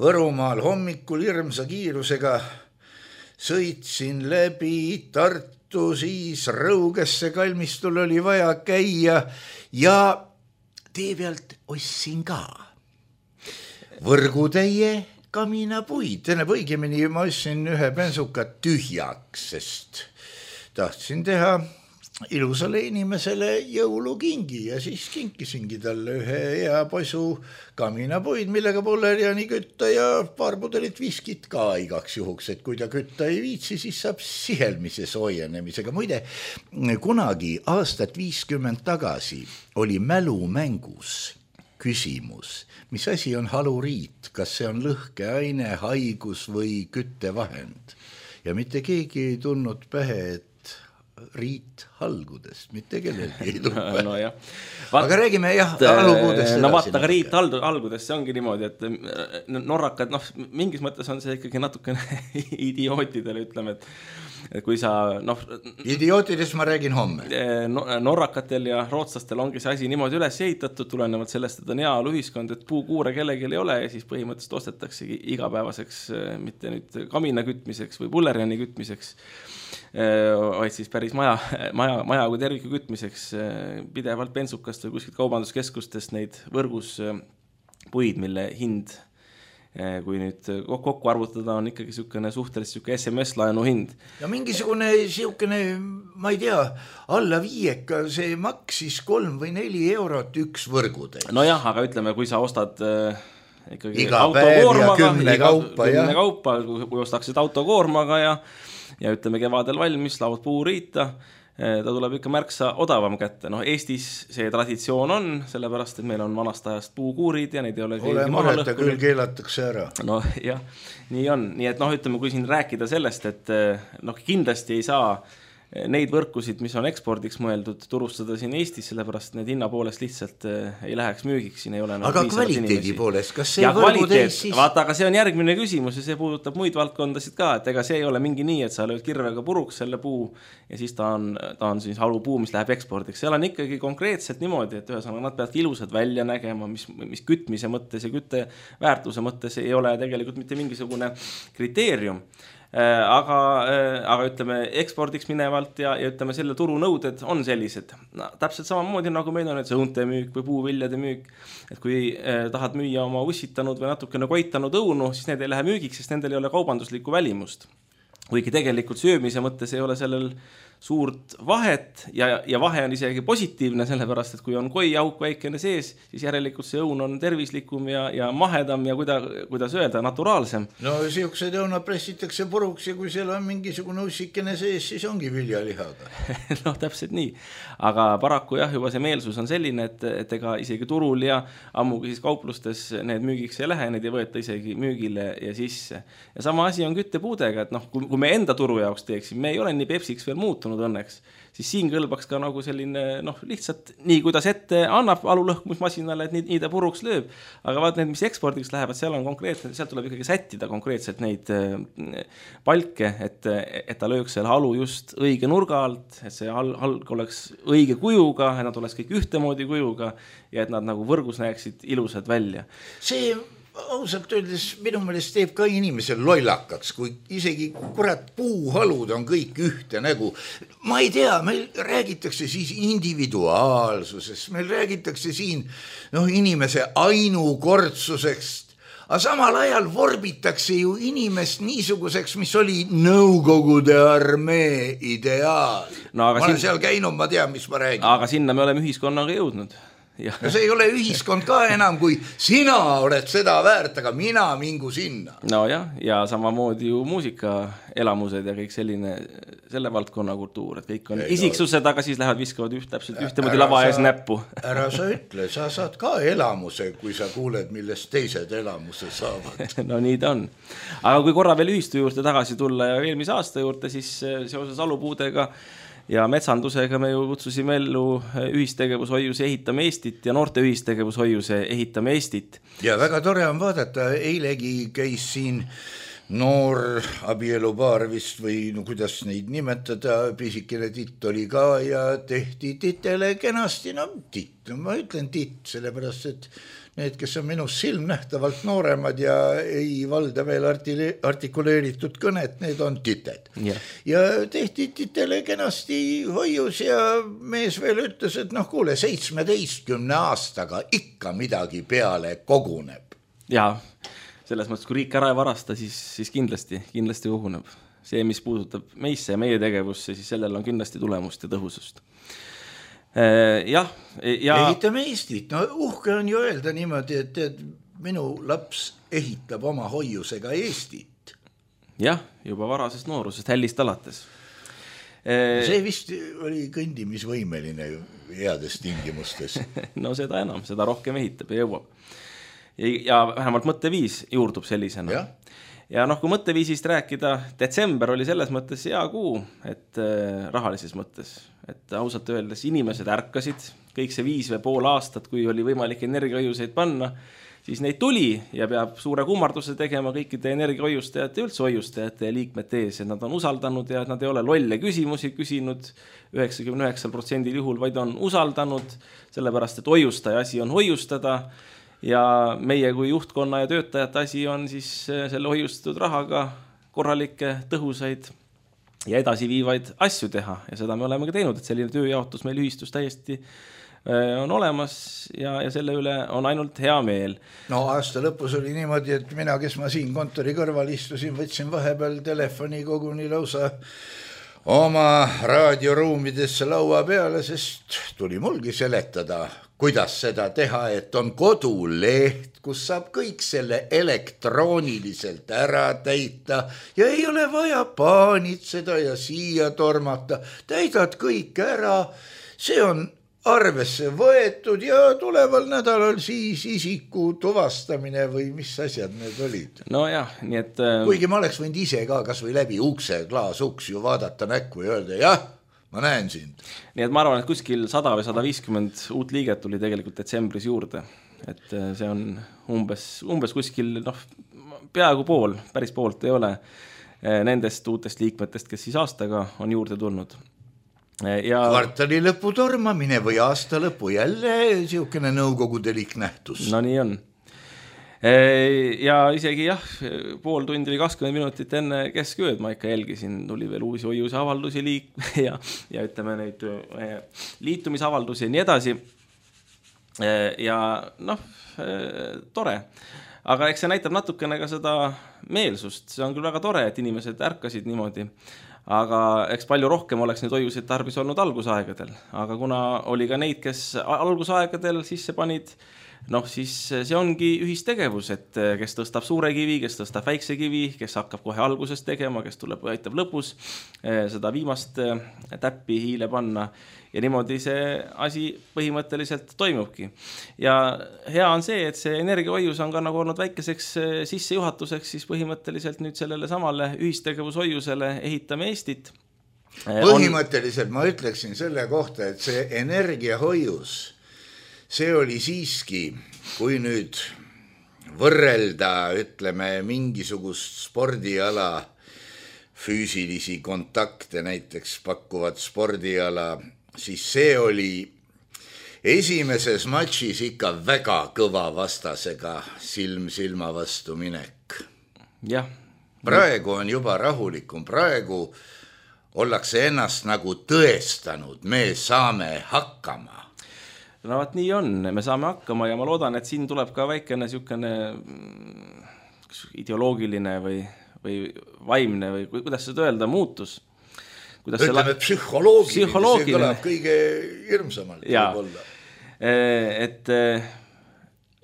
Võrumaal hommikul hirmsa kiirusega, sõitsin läbi Tartu, siis Rõugesse kalmistul oli vaja käia ja tee pealt ostsin ka võrgutäie kaminapuid. Tähendab, õigemini ma ostsin ühe bensuka tühjaks, sest tahtsin teha ilusale inimesele jõulukingi ja siis kinkisingi talle ühe hea posu kaminapuid, millega polleriani kütta ja paar pudelit viskit ka igaks juhuks, et kui ta kütta ei viitsi, siis saab sihelmise soojenemisega. Muide, kunagi aastat viiskümmend tagasi oli mälumängus küsimus, mis asi on haluriit, kas see on lõhkeaine, haigus või küttevahend. Ja mitte keegi ei tulnud pähe, et riit halgudest, mitte kellelgi ei tulnud pähe. No, jah. Vaat, aga räägime jah, halupuudest. No vaata, aga riit halgudest, see ongi niimoodi, et norrakad, noh, mingis mõttes on see ikkagi natukene idiootidele, ütleme, et et kui sa, noh... Idiootidest ma räägin homme. Norrakatel ja rootslastel ongi see asi niimoodi üles ehitatud, tulenevalt sellest, et on heaolu ühiskond, et puukuure kellelgi ei ole ja siis põhimõtteliselt ostetaksegi igapäevaseks, mitte nüüd kamina kütmiseks või pullerjani kütmiseks, vaid siis päris maja, maja, maja kui terviku kütmiseks pidevalt bensukast või kuskilt kaubanduskeskustest neid võrgus puid, mille hind, kui nüüd kokku arvutada, on ikkagi sükene suhteliselt süke S M S-laenu hind. Ja mingisugune sükene, ma ei tea, alla viieka, see maksis kolm või neli eurot üks võrgude. No jah, aga ütleme, kui sa ostad ikkagi iga päev ja kümne kaupa, kümne kaupa, kui ostaksid autokoormaga ja, ja ütleme kevadel valmis, laud puuriita, ta tuleb ikka märksa odavam kätte. No Eestis see traditsioon on, sellepärast, et meil on vanast ajast puukuurid ja neid ei ole ole mureta, küll keelatakse ära. No jah, nii on. Nii et noh, ütleme, kui siin rääkida sellest, et noh, kindlasti ei saa neid võrkusid, mis on ekspordiks mõeldud, turustada siin Eestis, sellepärast need hinna poolest lihtsalt ei läheks müügiks, siin ei ole. Aga kvaliteedi poolest, kas see võrguteis siis? Vaata, aga see on järgmine küsimus ja see puudutab muid valdkondasid ka, et ega see ei ole mingi nii, et sa lööd kirvega puruks selle puu ja siis ta on, ta on siis halupuu, mis läheb ekspordiks. Seal on ikkagi konkreetselt niimoodi, et ühesõnaga nad peavad ilusad välja nägema, mis, mis kütmise mõttes ja kütte väärtuse mõttes ei ole tegelikult mitte mingisugune kriteerium. Aga, aga ütleme ekspordiks minevalt ja, ja ütleme selle turunõuded on sellised. No, täpselt samamoodi nagu meil on et õunte müük või puuviljade müük, et kui eh, tahad müüa oma ussitanud või natukene koitanud õunu, siis need ei lähe müügiks, sest nendel ei ole kaubanduslikku välimust. Kuigi tegelikult söömise mõttes ei ole sellel suurt vahet ja, ja vahe on isegi positiivne, sellepärast, et kui on koi auk väikene sees, siis järelikult see õun on tervislikum ja, ja mahedam ja kuida, kuidas öelda, naturaalsem. No siuksed õunad pressitakse puruks ja kui seal on mingisugune ussikene sees, siis ongi viljalihaga. No täpselt nii. Aga paraku jah, juba see meelsus on selline, et, et ega isegi turul ja ammugi siis kauplustes need müügiks ei lähe, need ei võeta isegi müügile ja sisse. Ja sama asi on küttepuudega, et noh, kui, kui me enda turu jaoks teeksime, me ei ole nii Pepsiks veel muutunud õnneks, siis siin kõlbaks ka nagu selline, noh, lihtsalt nii, kuidas ette annab alulõhkumismasinale, et nii, nii ta puruks lööb. Aga vaat need, mis ekspordiks lähevad, seal on konkreetne, seal tuleb ikkagi sättida konkreetselt neid palke, et, et ta lööks selle halu just õige nurga alt, et see halg oleks õige kujuga, et nad oleks kõik ühtemoodi kujuga ja et nad nagu võrgus näeksid ilusad välja. See ausalt öeldes minu meelest teeb ka inimesel lollakaks, kui isegi kurat puuhalud on kõik ühte nägu. Ma ei tea, meil räägitakse siis individuaalsusest, meil räägitakse siin noh, inimese ainukordsusest, aga samal ajal vorbitakse ju inimest niisuguseks, mis oli Nõukogude armee ideaal. No, ma olen siin... seal käinud, ma tean, mis ma räägin. Aga sinna me oleme ühiskonnaga jõudnud. Ja. ja see ei ole ühiskond ka enam, kui sina oled seda väärt, aga mina mingu sinna. No jah, ja samamoodi ju muusika elamused ja kõik selline, selle valdkonna kultuur, et kõik on ei, isiksused, no, aga siis lähevad viskavad üht, täpselt ühtemoodi lava ees näppu. Ära sa ütle, sa saad ka elamuse, kui sa kuuled, millest teised elamuse saavad. No nii ta on. Aga kui korra veel ühistu juurde tagasi tulla ja eelmise aasta juurde, siis seoses alupuudega ja metsandusega me ju kutsusime ellu ühistegevushoiuse Ehitame Eestit ja noorte ühistegevushoiuse Ehitame Eestit. Ja väga tore on vaadata, eilegi käis siin noor abielupaar vist või no, kuidas neid nimetada, pisikene titt oli ka ja tehti titele kenasti, no titt, ma ütlen titt, sellepärast, et need, kes on minust silmnähtavalt nooremad ja ei valda veel artile, artikuleeritud kõnet, need on tited. Yeah. Ja tehti titele kenasti hoius ja mees veel ütles, et noh, kuule, seitsmeteistkümne aastaga ikka midagi peale koguneb. Jaa, selles mõttes, kui riik ära ei varasta, siis, siis kindlasti, kindlasti koguneb. See, mis puudutab meisse ja meie tegevusse, siis sellel on kindlasti tulemust ja tõhusust. Jah, ja Ehitame Eestit, no uhke on ju öelda niimoodi, et, et minu laps ehitab oma hoiusega Eestit. Jah, juba varasest noorusest, hällist alates. See vist oli kõndimisvõimeline heades tingimustes. No seda enam, seda rohkem ehitab ja jõuab. Ja vähemalt mõtteviis juurdub sellisena. Ja, ja noh, kui mõtteviisist rääkida, detsember oli selles mõttes hea kuu, et rahalises mõttes. Et ausalt öeldes inimesed ärkasid, kõik see viis või pool aastat, kui oli võimalik energiahoiuseid panna, siis neid tuli ja peab suure kummarduse tegema kõikide energiahoiustajate, üldse hoiustajate ja liikmete ees, et nad on usaldanud ja nad ei ole lolle küsimusi küsinud üheksakümne üheksa protsendil juhul, vaid on usaldanud, sellepärast, et hoiustaja asi on hoiustada ja meie kui juhtkonna ja töötajate asi on siis selle hoiustatud rahaga korralikke, tõhusaid ja edasi viivaid asju teha ja seda me oleme ka teinud, et selline tööjaotus meil ühistus täiesti on olemas ja, ja selle üle on ainult hea meel. No aasta lõpus oli niimoodi, et mina, kes ma siin kontori kõrval istusin, võtsin vahepeal telefoni koguni lausa oma raadioruumidesse laua peale, sest tuli mulgi seletada, kuidas seda teha, et on koduleht, kus saab kõik selle elektrooniliselt ära täita ja ei ole vaja paanitseda ja siia tormata. Täidad kõik ära, see on arvesse võetud ja tuleval nädalal siis isiku tuvastamine või mis asjad need olid. No jah, nii et... Kuigi ma oleks võinud ise ka kas või läbi ukse, klaasuks ju vaadata näkku ja öelda, jah, ma näen sind. Nii et ma arvan, et kuskil sada või sada viiskümmend uut liiget tuli tegelikult detsembris juurde. Et see on umbes, umbes kuskil, noh, peaaegu pool, päris poolt ei ole nendest uutest liikmetest, kes siis aastaga on juurde tulnud. Ja... Kvartali lõpu tormamine või aasta lõpu jälle siukene nõukogudelik nähtus. No nii on. Ja isegi jah, pool tundi või kakskümmend minutit enne keskööd ma ikka jälgisin, tuli veel uusi hoiuse avaldusi liik ja, ja ütleme neid liitumisavaldusi ja nii edasi. Ja noh, tore. Aga eks see näitab natukene ka seda meelsust. See on küll väga tore, et inimesed ärkasid niimoodi. Aga eks palju rohkem oleks neid hoiuseid tarbis olnud algusaegadel. Aga kuna oli ka neid, kes algusaegadel sisse panid, noh siis see ongi ühistegevus, et kes tõstab suure kivi, kes tõstab väikse kivi, kes hakkab kohe algusest tegema, kes tuleb või aitab lõpus seda viimast täppi hiile panna. Ja niimoodi see asi põhimõtteliselt toimubki. Ja hea on see, et see energiahoius on ka nagu olnud väikeseks sissejuhatuseks siis põhimõtteliselt nüüd sellele samale ühistegevushoiusele Ehitame Eestit. Põhimõtteliselt ma ütleksin selle kohta, et see energiahoius, see oli siiski, kui nüüd võrrelda, ütleme, mingisugust spordiala, füüsilisi kontakte näiteks pakkuvad spordiala, siis see oli esimeses matšis ikka väga kõva vastasega silm silma vastu minek. Jah. Praegu on juba rahulikum, praegu ollakse ennast nagu tõestanud, me saame hakkama. No vaat nii on, me saame hakkama ja ma loodan, et siin tuleb ka väikene siukene ideoloogiline või, või vaimne või kuidas seda öelda, muutus. Ütleme, psühholoogiline, see kõlab kõige hirmsamalt. et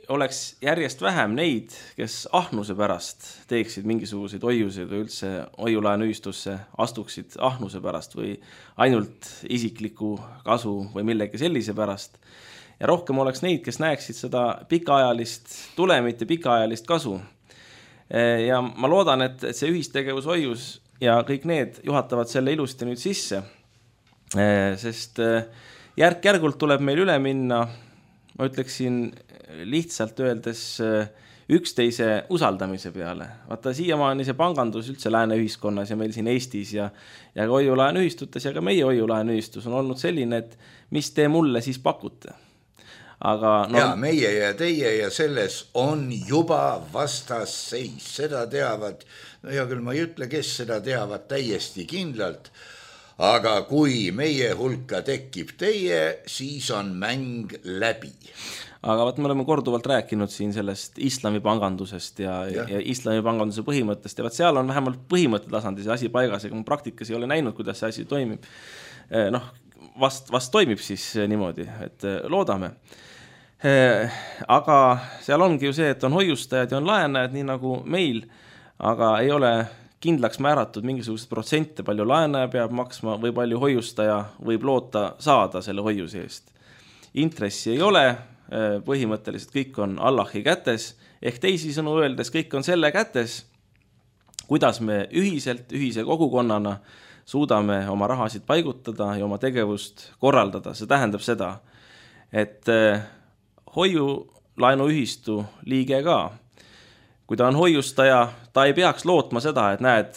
oleks järjest vähem neid, kes ahnuse pärast teeksid mingisuguseid hoiuseid või üldse hoiulaenuühistusse astuksid ahnuse pärast või ainult isikliku kasu või millegi sellise pärast. Ja rohkem oleks neid, kes näeksid seda pikaajalist tulemit ja pikaajalist kasu. Ja ma loodan, et see ühistegevushoius ja kõik need juhatavad selle ilusti nüüd sisse, sest järk-järgult tuleb meil üle minna, ma ütleksin lihtsalt öeldes üksteise usaldamise peale. Vaata, siiamaani see pangandus üldse lääne ühiskonnas ja meil siin Eestis ja, ja ka hoiulaenuühistutes ja ka meie hoiulaenuühistus on olnud selline, et mis te mulle siis pakute. Aga no... Ja meie ja teie ja selles on juba vastasseis, seda teavad, no hea küll, ma ei ütle, kes seda teavad täiesti kindlalt, aga kui meie hulka tekib teie, siis on mäng läbi. Aga vaat me oleme korduvalt rääkinud siin sellest islamipangandusest ja, ja. ja islamipanganduse põhimõttest ja vaat seal on vähemalt põhimõtte tasandil see asi paigas, ega ma praktikas ei ole näinud, kuidas see asi toimib. Noh, vast, vast toimib siis niimoodi, et loodame. Aga seal ongi ju see, et on hoiustajad ja on laenajad, nii nagu meil, aga ei ole kindlaks määratud mingisugused protsente, palju laenaja peab maksma või palju hoiustaja võib loota saada selle hoiuse eest. Intressi ei ole, põhimõtteliselt kõik on Allahi kätes, ehk teisisõnu öeldes kõik on selle kätes, kuidas me ühiselt, ühise kogukonnana suudame oma rahasid paigutada ja oma tegevust korraldada. See tähendab seda, et hoiulaenuühistu liige ka, kui ta on hoiustaja, ta ei peaks lootma seda, et näed,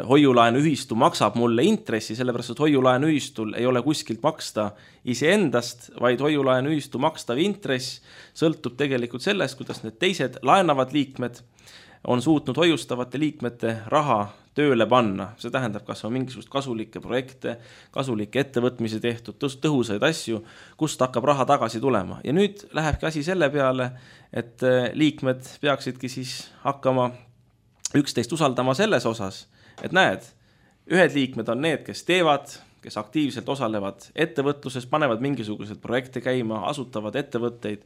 hoiulaenuühistu maksab mulle intressi, sellepärast, et hoiulaenuühistul ei ole kuskilt maksta iseendast, vaid hoiulaenuühistu makstav intress sõltub tegelikult sellest, kuidas need teised laenavad liikmed on suutnud hoiustavate liikmete raha tööle panna. See tähendab, kas on mingisugust kasulikke projekte, kasulikke ettevõtmise tehtud, tõhusaid asju, kust hakkab raha tagasi tulema. Ja nüüd lähebki asi selle peale, et liikmed peaksidki siis hakkama üksteist usaldama selles osas, et näed, ühed liikmed on need, kes teevad, kes aktiivselt osalevad ettevõtluses, panevad mingisugused projekte käima, asutavad ettevõtteid,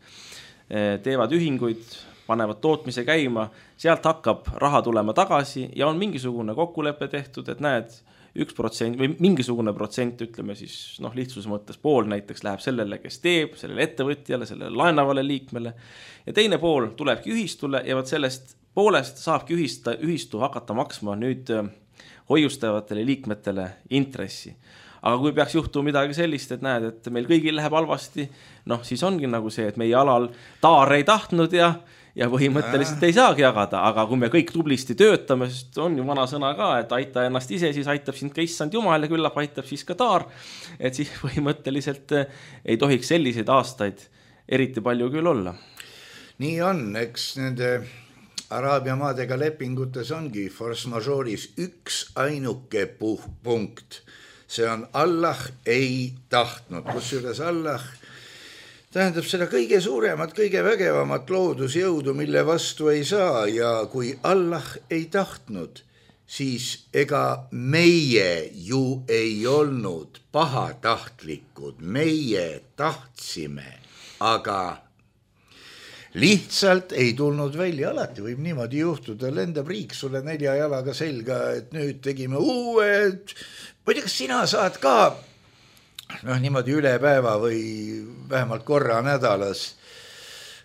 teevad ühinguid, panevad tootmise käima, sealt hakkab raha tulema tagasi ja on mingisugune kokkulepe tehtud, et näed, üks protsent või mingisugune protsent, ütleme siis, noh, lihtsuse mõttes pool näiteks läheb sellele, kes teeb, sellele ettevõtjale, sellele laenavale liikmele ja teine pool tulebki ühistule ja võt sellest poolest saabki ühista, ühistu hakata maksma nüüd hoiustavatele liikmetele intressi. Aga kui peaks juhtuma midagi sellist, et näed, et meil kõigil läheb halvasti, noh, siis ongi nagu see, et meie alal taar ei tahtnud ja ja põhimõtteliselt ei saagi jagada, aga kui me kõik tublisti töötame, sest on ju vana sõna ka, et aita ennast ise, siis aitab sind ka issand Jumal ja küllap aitab siis ka taar, et siis põhimõtteliselt ei tohiks selliseid aastaid eriti palju küll olla. Nii on, eks nende Araabia maadega lepingutes ongi force majeure'is üks ainuke punkt. See on Allah ei tahtnud, kusjuures Allah tähendab seda kõige suuremat, kõige vägevamat loodusjõudu, mille vastu ei saa ja kui Allah ei tahtnud, siis ega meie ju ei olnud pahatahtlikud, meie tahtsime, aga lihtsalt ei tulnud välja, alati võib niimoodi juhtuda, lendab riik sulle nelja jalaga selga, et nüüd tegime uued, ma ei tea, kas sina saad ka noh, niimoodi üle päeva või vähemalt korra nädalas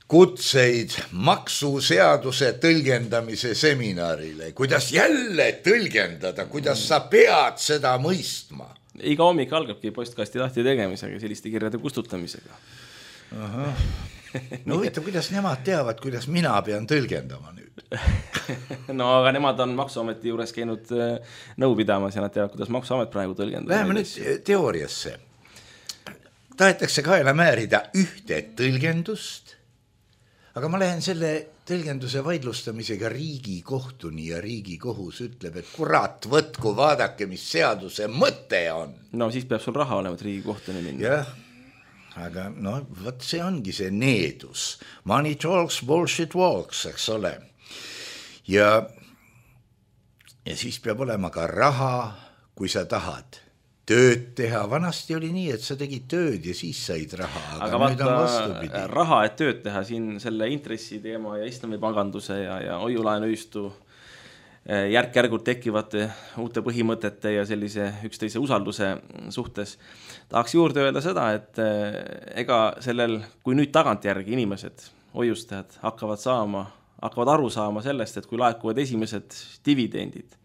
kutseid maksuseaduse tõlgendamise seminarile, kuidas jälle tõlgendada, kuidas sa pead seda mõistma. Iga hommik algabki postkasti lahti tegemisega, selliste kirjade kustutamisega. Aha. No huvitav, kuidas nemad teavad, kuidas mina pean tõlgendama nüüd? No aga nemad on Maksuameti juures käinud nõu pidamas ja nad teavad, kuidas Maksuamet praegu tõlgendab. Läheme nüüd teooriasse. Tahetakse kaela määrida ühte tõlgendust, aga ma lähen selle tõlgenduse vaidlustamisega Riigikohtuni ja Riigikohus ütleb, et kurat, võtku, vaadake, mis seaduse mõte on. No siis peab sul raha olema, et Riigikohtuni minna. Jah, aga no, võt see ongi see needus. Money talks, bullshit walks, eks ole. Ja, ja siis peab olema ka raha, kui sa tahad tööd teha. Vanasti oli nii, et sa tegid tööd ja siis said raha, aga, aga nüüd on vastupidi. Raha, et tööd teha siin selle intressi teema ja islamipanganduse ja, ja hoiulaenuühistu järk-järgult tekivate uute põhimõtete ja sellise üksteise usalduse suhtes. Tahaks juurde öelda seda, et ega sellel, kui nüüd tagantjärgi inimesed, hoiustajad hakkavad saama, hakkavad aru saama sellest, et kui laekuvad esimesed dividendid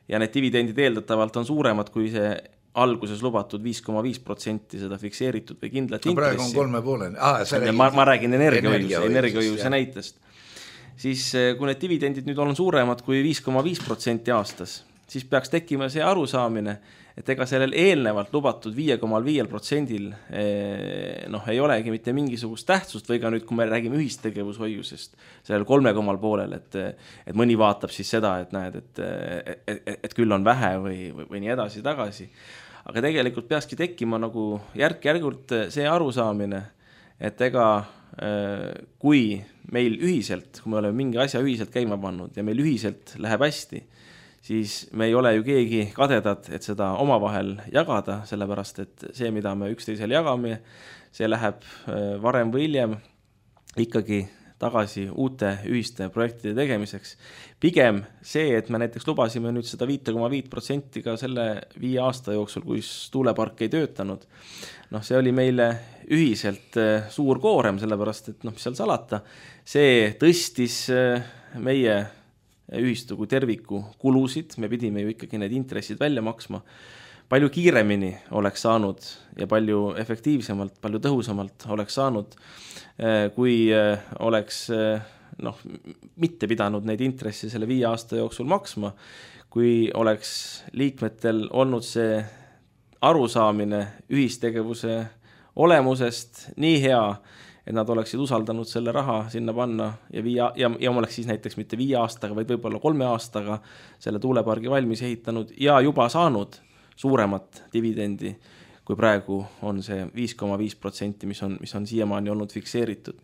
ja need dividendid eeldatavalt on suuremad kui see alguses lubatud viis koma viis protsenti seda fikseeritud või kindlat intressi. Praegu on kolme pooleni. Ah, ma, ma räägin energiahoiuse, energiahoiuse näitest. Siis kui need dividendid nüüd on suuremad kui viis koma viis protsenti aastas, siis peaks tekkima see arusaamine, et ega sellel eelnevalt lubatud viis koma viis protsendil noh, ei olegi mitte mingisugust tähtsust või ka nüüd, kui me räägime ühistegevushoiusest, sellel kolme komal poolel, et, et mõni vaatab siis seda, et näed, et, et, et, et küll on vähe või, või, või nii edasi tagasi. Aga tegelikult peakski tekkima nagu järk-järgult see arusaamine, et ega kui meil ühiselt, kui me oleme mingi asja ühiselt käima pannud ja meil ühiselt läheb hästi, siis me ei ole ju keegi kadedad, et seda omavahel jagada, sellepärast et see, mida me üksteisel jagame, see läheb varem või hiljem ikkagi tagasi uute ühiste projektide tegemiseks. Pigem see, et me näiteks lubasime nüüd seda viis koma viis protsenti ka selle viie aasta jooksul, kui tuulepark ei töötanud, noh, see oli meile ühiselt suur koorem, sellepärast et noh, mis seal salata, see tõstis meie ühistu kui terviku kulusid, me pidime ju ikkagi need intressid välja maksma, palju kiiremini oleks saanud ja palju efektiivsemalt, palju tõhusamalt oleks saanud, kui oleks noh, mitte pidanud neid intressi selle viie aasta jooksul maksma, kui oleks liikmetel olnud see arusaamine ühistegevuse olemusest nii hea, et nad oleksid usaldanud selle raha sinna panna ja, viia, ja, ja oleks siis näiteks mitte viie aastaga, vaid võib-olla kolme aastaga selle tuulepargi valmis ehitanud ja juba saanud suuremat dividendi, kui praegu on see viis koma viis protsenti, mis on, mis on siiamaani olnud fikseeritud.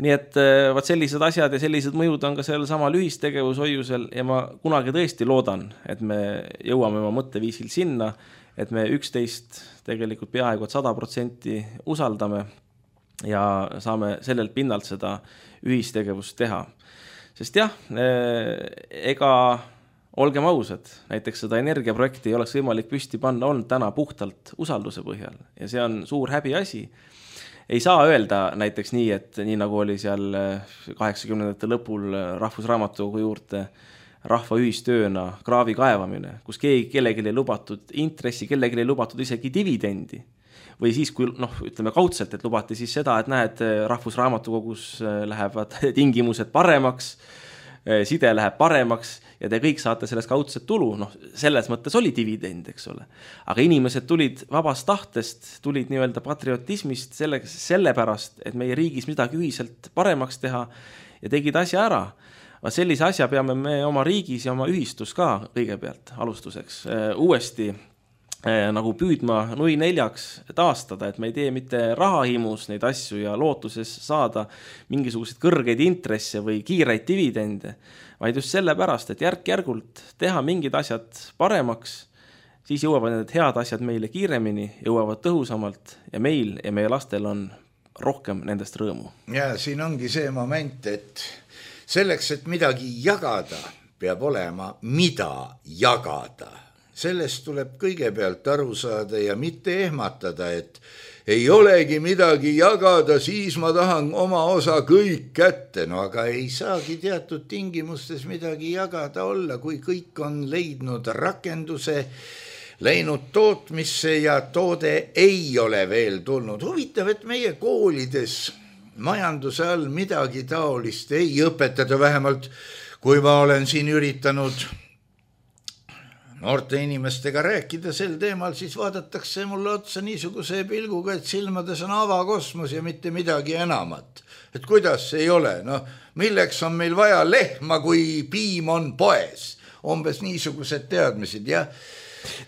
Nii et vaat sellised asjad ja sellised mõjud on ka sellel samal ühistegevushoiusel ja ma kunagi tõesti loodan, et me jõuame oma mõtteviisil sinna, et me üksteist tegelikult peaaegu et sada protsenti usaldame ja saame sellelt pinnalt seda ühistegevust teha. Sest jah, ega olgem ausad, näiteks seda energiaprojekti ei oleks võimalik püsti panna olnud täna puhtalt usalduse põhjal ja see on suur häbi asi. Ei saa öelda näiteks nii, et nii nagu oli seal kaheksakümnendate lõpul Rahvusraamatukogu juurde rahva ühistööna kraavi kaevamine, kus keegi kellelegi ei lubatud intressi, kellelegi ei lubatud isegi dividendi. Või siis, kui noh, ütleme kaudselt, et lubati siis seda, et näed, Rahvusraamatukogus lähevad tingimused paremaks, side läheb paremaks ja te kõik saate sellest kaudset tulu, noh, selles mõttes oli dividend, eks ole. Aga inimesed tulid vabast tahtest, tulid nii-öelda patriotismist selle, sellepärast, et meie riigis midagi ühiselt paremaks teha ja tegid asja ära. Vaat sellise asja peame me oma riigis ja oma ühistus ka kõigepealt alustuseks uuesti nagu püüdma nui neljaks taastada, et me ei tee mitte rahahimus neid asju ja lootuses saada mingisuguseid kõrgeid intresse või kiireid dividende, vaid just sellepärast, et järk-järgult teha mingid asjad paremaks, siis jõuavad need head asjad meile kiiremini, jõuavad tõhusamalt ja meil ja meie lastel on rohkem nendest rõõmu. Ja siin ongi see moment, et selleks, et midagi jagada, peab olema mida jagada. Sellest tuleb kõigepealt aru saada ja mitte ehmatada, et ei olegi midagi jagada, siis ma tahan oma osa kõik kätte. No aga ei saagi teatud tingimustes midagi jagada olla, kui kõik on leidnud rakenduse, läinud tootmisse ja toode ei ole veel tulnud. Huvitav, et meie koolides majanduse all midagi taolist ei õpetada, vähemalt kui ma olen siin üritanud noorte inimestega rääkida sel teemal, siis vaadatakse mulle otsa niisuguse pilguga, et silmades on avakosmos ja mitte midagi enamat. Et kuidas ei ole? No, milleks on meil vaja lehma, kui piim on poes? Umbes niisugused teadmised. Ja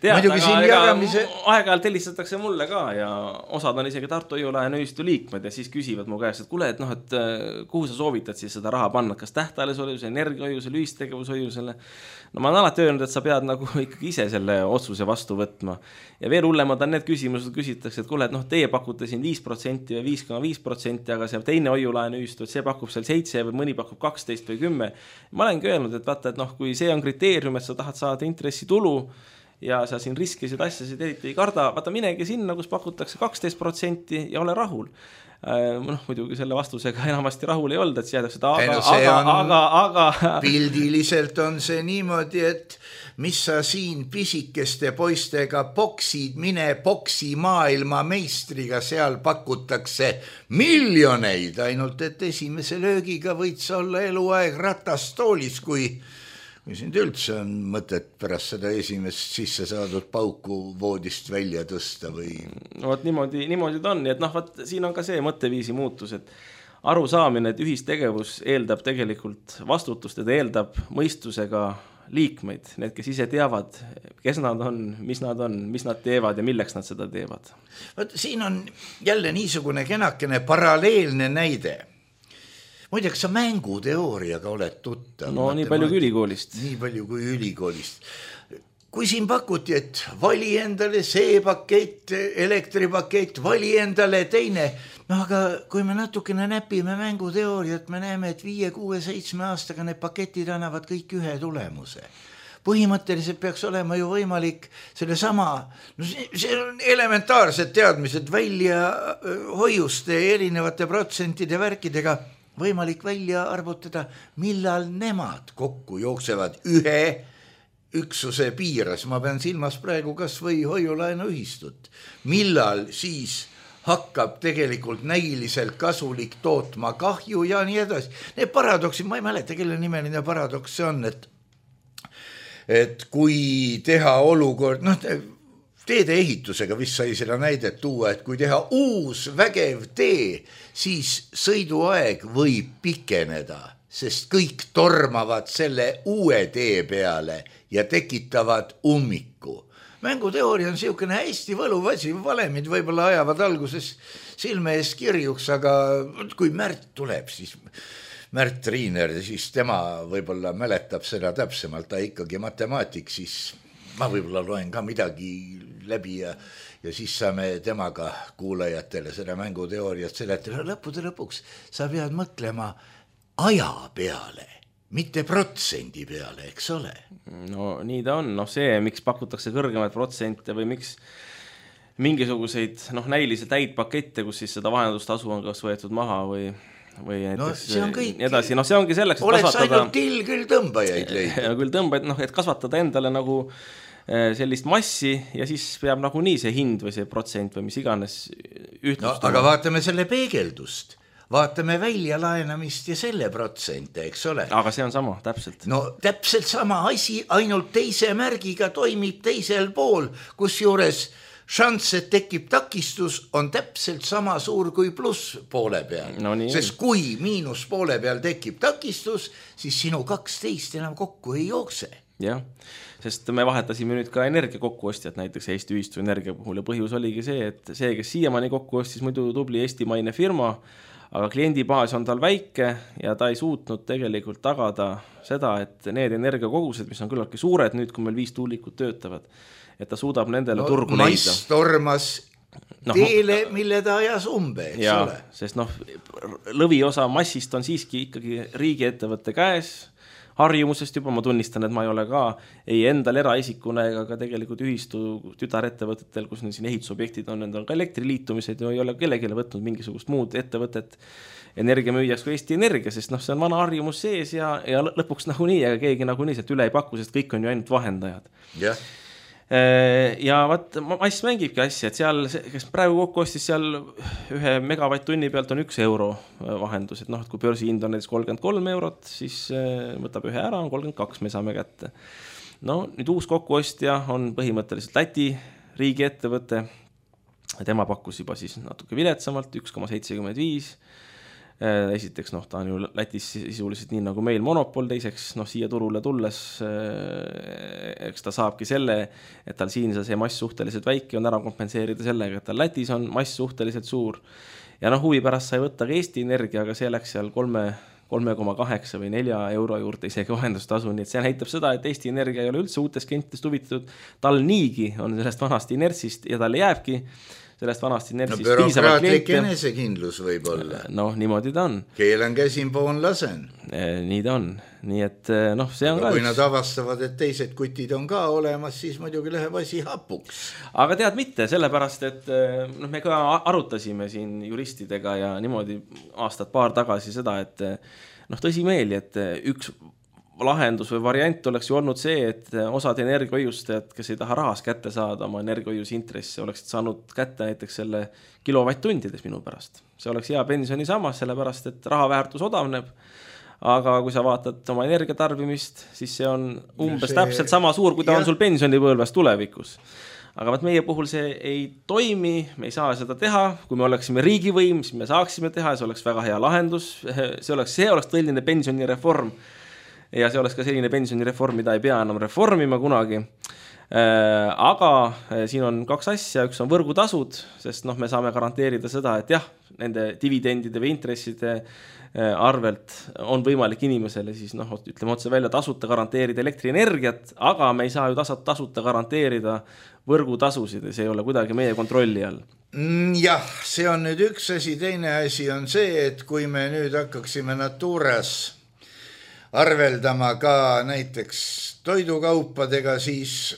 tead, aga jagamise... aeg-ajalt helistatakse mulle ka ja osad on isegi Tartu Hoiu-laenu ühistu liikmed ja siis küsivad mu käest, et kuule, et noh, et kuhu sa soovitad siis seda raha panna, kas tähtajalise energiahoiusele, ühistegevushoiusele. No ma olen alati öelnud, et sa pead nagu ikkagi ise selle otsuse vastu võtma. Ja veel hullemad on need küsimused, küsitakse, et kuule, et noh, teie pakute siin viis protsenti või viis koma viis protsenti, aga see teine hoiulaenu ühistu, et see pakub seal seitse või mõni pakub kaksteist või kümme. Ma olengi öelnud, et vaata, et noh, kui see on kriteerium, et sa tahad saada intressitulu ja sa siin riskisid asjasid eriti ei karda, vaata minegi sinna, kus pakutakse kaksteist protsenti ja ole rahul. Noh, muidugi selle vastusega enamasti rahul ei olnud, et jäädakse seda aga, aga, aga, aga pildiliselt on see niimoodi, et mis sa siin pisikeste poistega boksid, mine boksi maailma meistriga, seal pakutakse miljoneid, ainult et esimese löögiga võid sa olla eluaeg ratastoolis, kui kui sind üldse on mõtet pärast seda esimest sisse saadud pauku voodist välja tõsta või... No võt niimoodi, niimoodi ta on, nii et noh, võt, siin on ka see mõtteviisi muutus, et arusaamine, et ühistegevus eeldab tegelikult vastutust ja ta eeldab mõistusega liikmeid, need, kes ise teavad, kes nad on, mis nad on, mis nad teevad ja milleks nad seda teevad. Võt, siin on jälle niisugune kenakene paralleelne näide. Muideks sa mänguteooriaga oled tuttav. No nii palju kui ülikoolist. Nii palju kui ülikoolist. Kui siin pakuti, et vali endale see pakett, elektripakett, vali endale teine. No aga kui me natukene näpime mänguteooriat, me näeme, et viie, kuue, seitsme aastaga need paketid annavad kõik ühe tulemuse. Põhimõtteliselt peaks olema ju võimalik selle sama, no see on elementaarsed teadmised välja hoiuste erinevate protsentide värkidega võimalik välja arvutada, millal nemad kokku jooksevad ühe üksuse piires. Ma pean silmas praegu kas või hoiulaenu ühistut. Millal siis hakkab tegelikult näiliselt kasulik tootma kahju ja nii edasi. Need paradoksid, ma ei mäleta, kelle nimeline paradoks see on, et, et kui teha olukord, noh, teede ehitusega vist sai seda näidet tuua, et kui teha uus vägev tee, siis sõiduaeg võib pikeneda, sest kõik tormavad selle uue tee peale ja tekitavad ummiku. Mänguteooria on siukene hästi võluv asi, valemid võib-olla ajavad alguses silme ees kirjuks, aga kui Märt tuleb, siis Märt Riiner, siis tema võib-olla mäletab seda täpsemalt, ta ikkagi matemaatik, siis ma võib-olla loen ka midagi läbi ja, ja siis saame temaga kuulajatele seda mänguteooriat seletada. Lõppude lõpuks sa pead mõtlema aja peale, mitte protsendi peale, eks ole? No nii ta on, noh see, miks pakutakse kõrgemaid protsente või miks mingisuguseid noh, näilisi täid pakette, kus siis seda vahendustasu on kas võetud maha või või näiteks no, see on kõik, nii edasi, noh see ongi selleks, et oleks kasvatada ainult till küll tõmbajaid leida. Küll tõmbajaid, noh et kasvatada endale nagu sellist massi ja siis peab nagu nii see hind või see protsent või mis iganes ühtlustama. No, aga vaatame selle peegeldust, vaatame välja laenamist ja selle protsente, eks ole. Aga see on sama, täpselt. No täpselt sama asi, ainult teise märgiga toimib teisel pool, kus juures šanss, et tekib takistus, on täpselt sama suur kui pluss poole peal. No, sest kui miinus poole peal tekib takistus, siis sinu kaksteist enam kokku ei jookse. Jah, sest me vahetasime nüüd ka energia kokkuostjad näiteks Eesti ühistu energia puhul ja põhjus oligi see, et see, kes siiamaani kokku ostis muidu tubli eestimaine firma, aga kliendibaas on tal väike ja ta ei suutnud tegelikult tagada seda, et need energiakogused, mis on küllaltki suured nüüd, kui meil viis tuulikut töötavad, et ta suudab nendele no, turgu leida. Mass tormas no, teele, mille ta ajas umbe, eks ja, ole. Sest noh, lõviosa massist on siiski ikkagi riigiettevõtte käes, harjumusest juba, ma tunnistan, et ma ei ole ka ei endal eraisikuna ega ka tegelikult ühistu tütarettevõtetel, kus siin ehitusobjektid on, need on ka elektriliitumised ja ei ole kellelegi võtnud mingisugust muud ettevõtet energiamüüjaks kui Eesti Energia, sest noh, see on vana harjumus sees ja, ja lõpuks nagu nii, aga keegi nagu nii sealt üle ei paku, sest kõik on ju ainult vahendajad. Jah. Ja vaat, Mass mängibki asja, et seal, kes praegu kokku ostis seal ühe megavatt-tunni pealt on üks euro vahendus, et noh, et kui börsihind on näiteks kolmkümmend kolm eurot, siis võtab ühe ära, on kolmkümmend kaks, me saame kätte. No nüüd uus kokkuostja on põhimõtteliselt Läti riigiettevõte, tema pakkus juba siis natuke viletsamalt, üks koma seitsekümmend viis esiteks, noh, ta on ju Lätis sisuliselt nii nagu meil monopol, teiseks, noh, siia turule tulles, eks ta saabki selle, et tal siin see mass suhteliselt väike on ära kompenseerida sellega, et tal Lätis on mass suhteliselt suur. Ja noh, huvi pärast sai võtta ka Eesti Energia, aga see läks seal kolme koma kaheksa või nelja euro juurde isegi vahendustasu, nii et see näitab seda, et Eesti Energia ei ole üldse uutest klientidest huvitatud, tal niigi on sellest vanast inertsist ja tal jääbki sellest vanast inertsist no, bürokraatlik enesekindlus võib olla. Noh, niimoodi ta on. Keelan käsin, poon lasen. Nii ta on. Nii et noh, see on aga ka kui üks... nad avastavad, et teised kutid on ka olemas, siis muidugi läheb asi hapuks. Aga tead mitte, sellepärast, et noh, me ka arutasime siin juristidega ja niimoodi aastat paar tagasi seda, et noh, tõsimeeli, et üks lahendus või variant oleks ju olnud see, et osad energiahoiustajad, kes ei taha rahas kätte saada oma energiahoiuse intressi, oleksid saanud kätte näiteks selle kilovatt-tundides minu pärast. See oleks hea pensioni samas, sellepärast, et raha väärtus odavneb, aga kui sa vaatad oma energiatarbimist, siis see on umbes see... täpselt sama suur, kui ta ja. on sul pensionipõlves tulevikus. Aga vaat meie puhul see ei toimi, me ei saa seda teha, kui me oleksime riigivõim, siis me saaksime teha, see oleks väga hea lahendus, see oleks, see oleks tõeline pensionireform. Ja see oleks ka selline pensionireform, mida ei pea enam reformima kunagi. Aga siin on kaks asja, üks on võrgutasud, sest noh, me saame garanteerida seda, et jah, nende dividendide või intresside arvelt on võimalik inimesele siis noh, ütleme otse välja tasuta garanteerida elektrienergiat, aga me ei saa ju tasuta garanteerida võrgutasusid ja see ei ole kuidagi meie kontrolli all. Jah, see on nüüd üks asi, teine asi on see, et kui me nüüd hakkaksime Naturas arveldama ka näiteks toidukaupadega, siis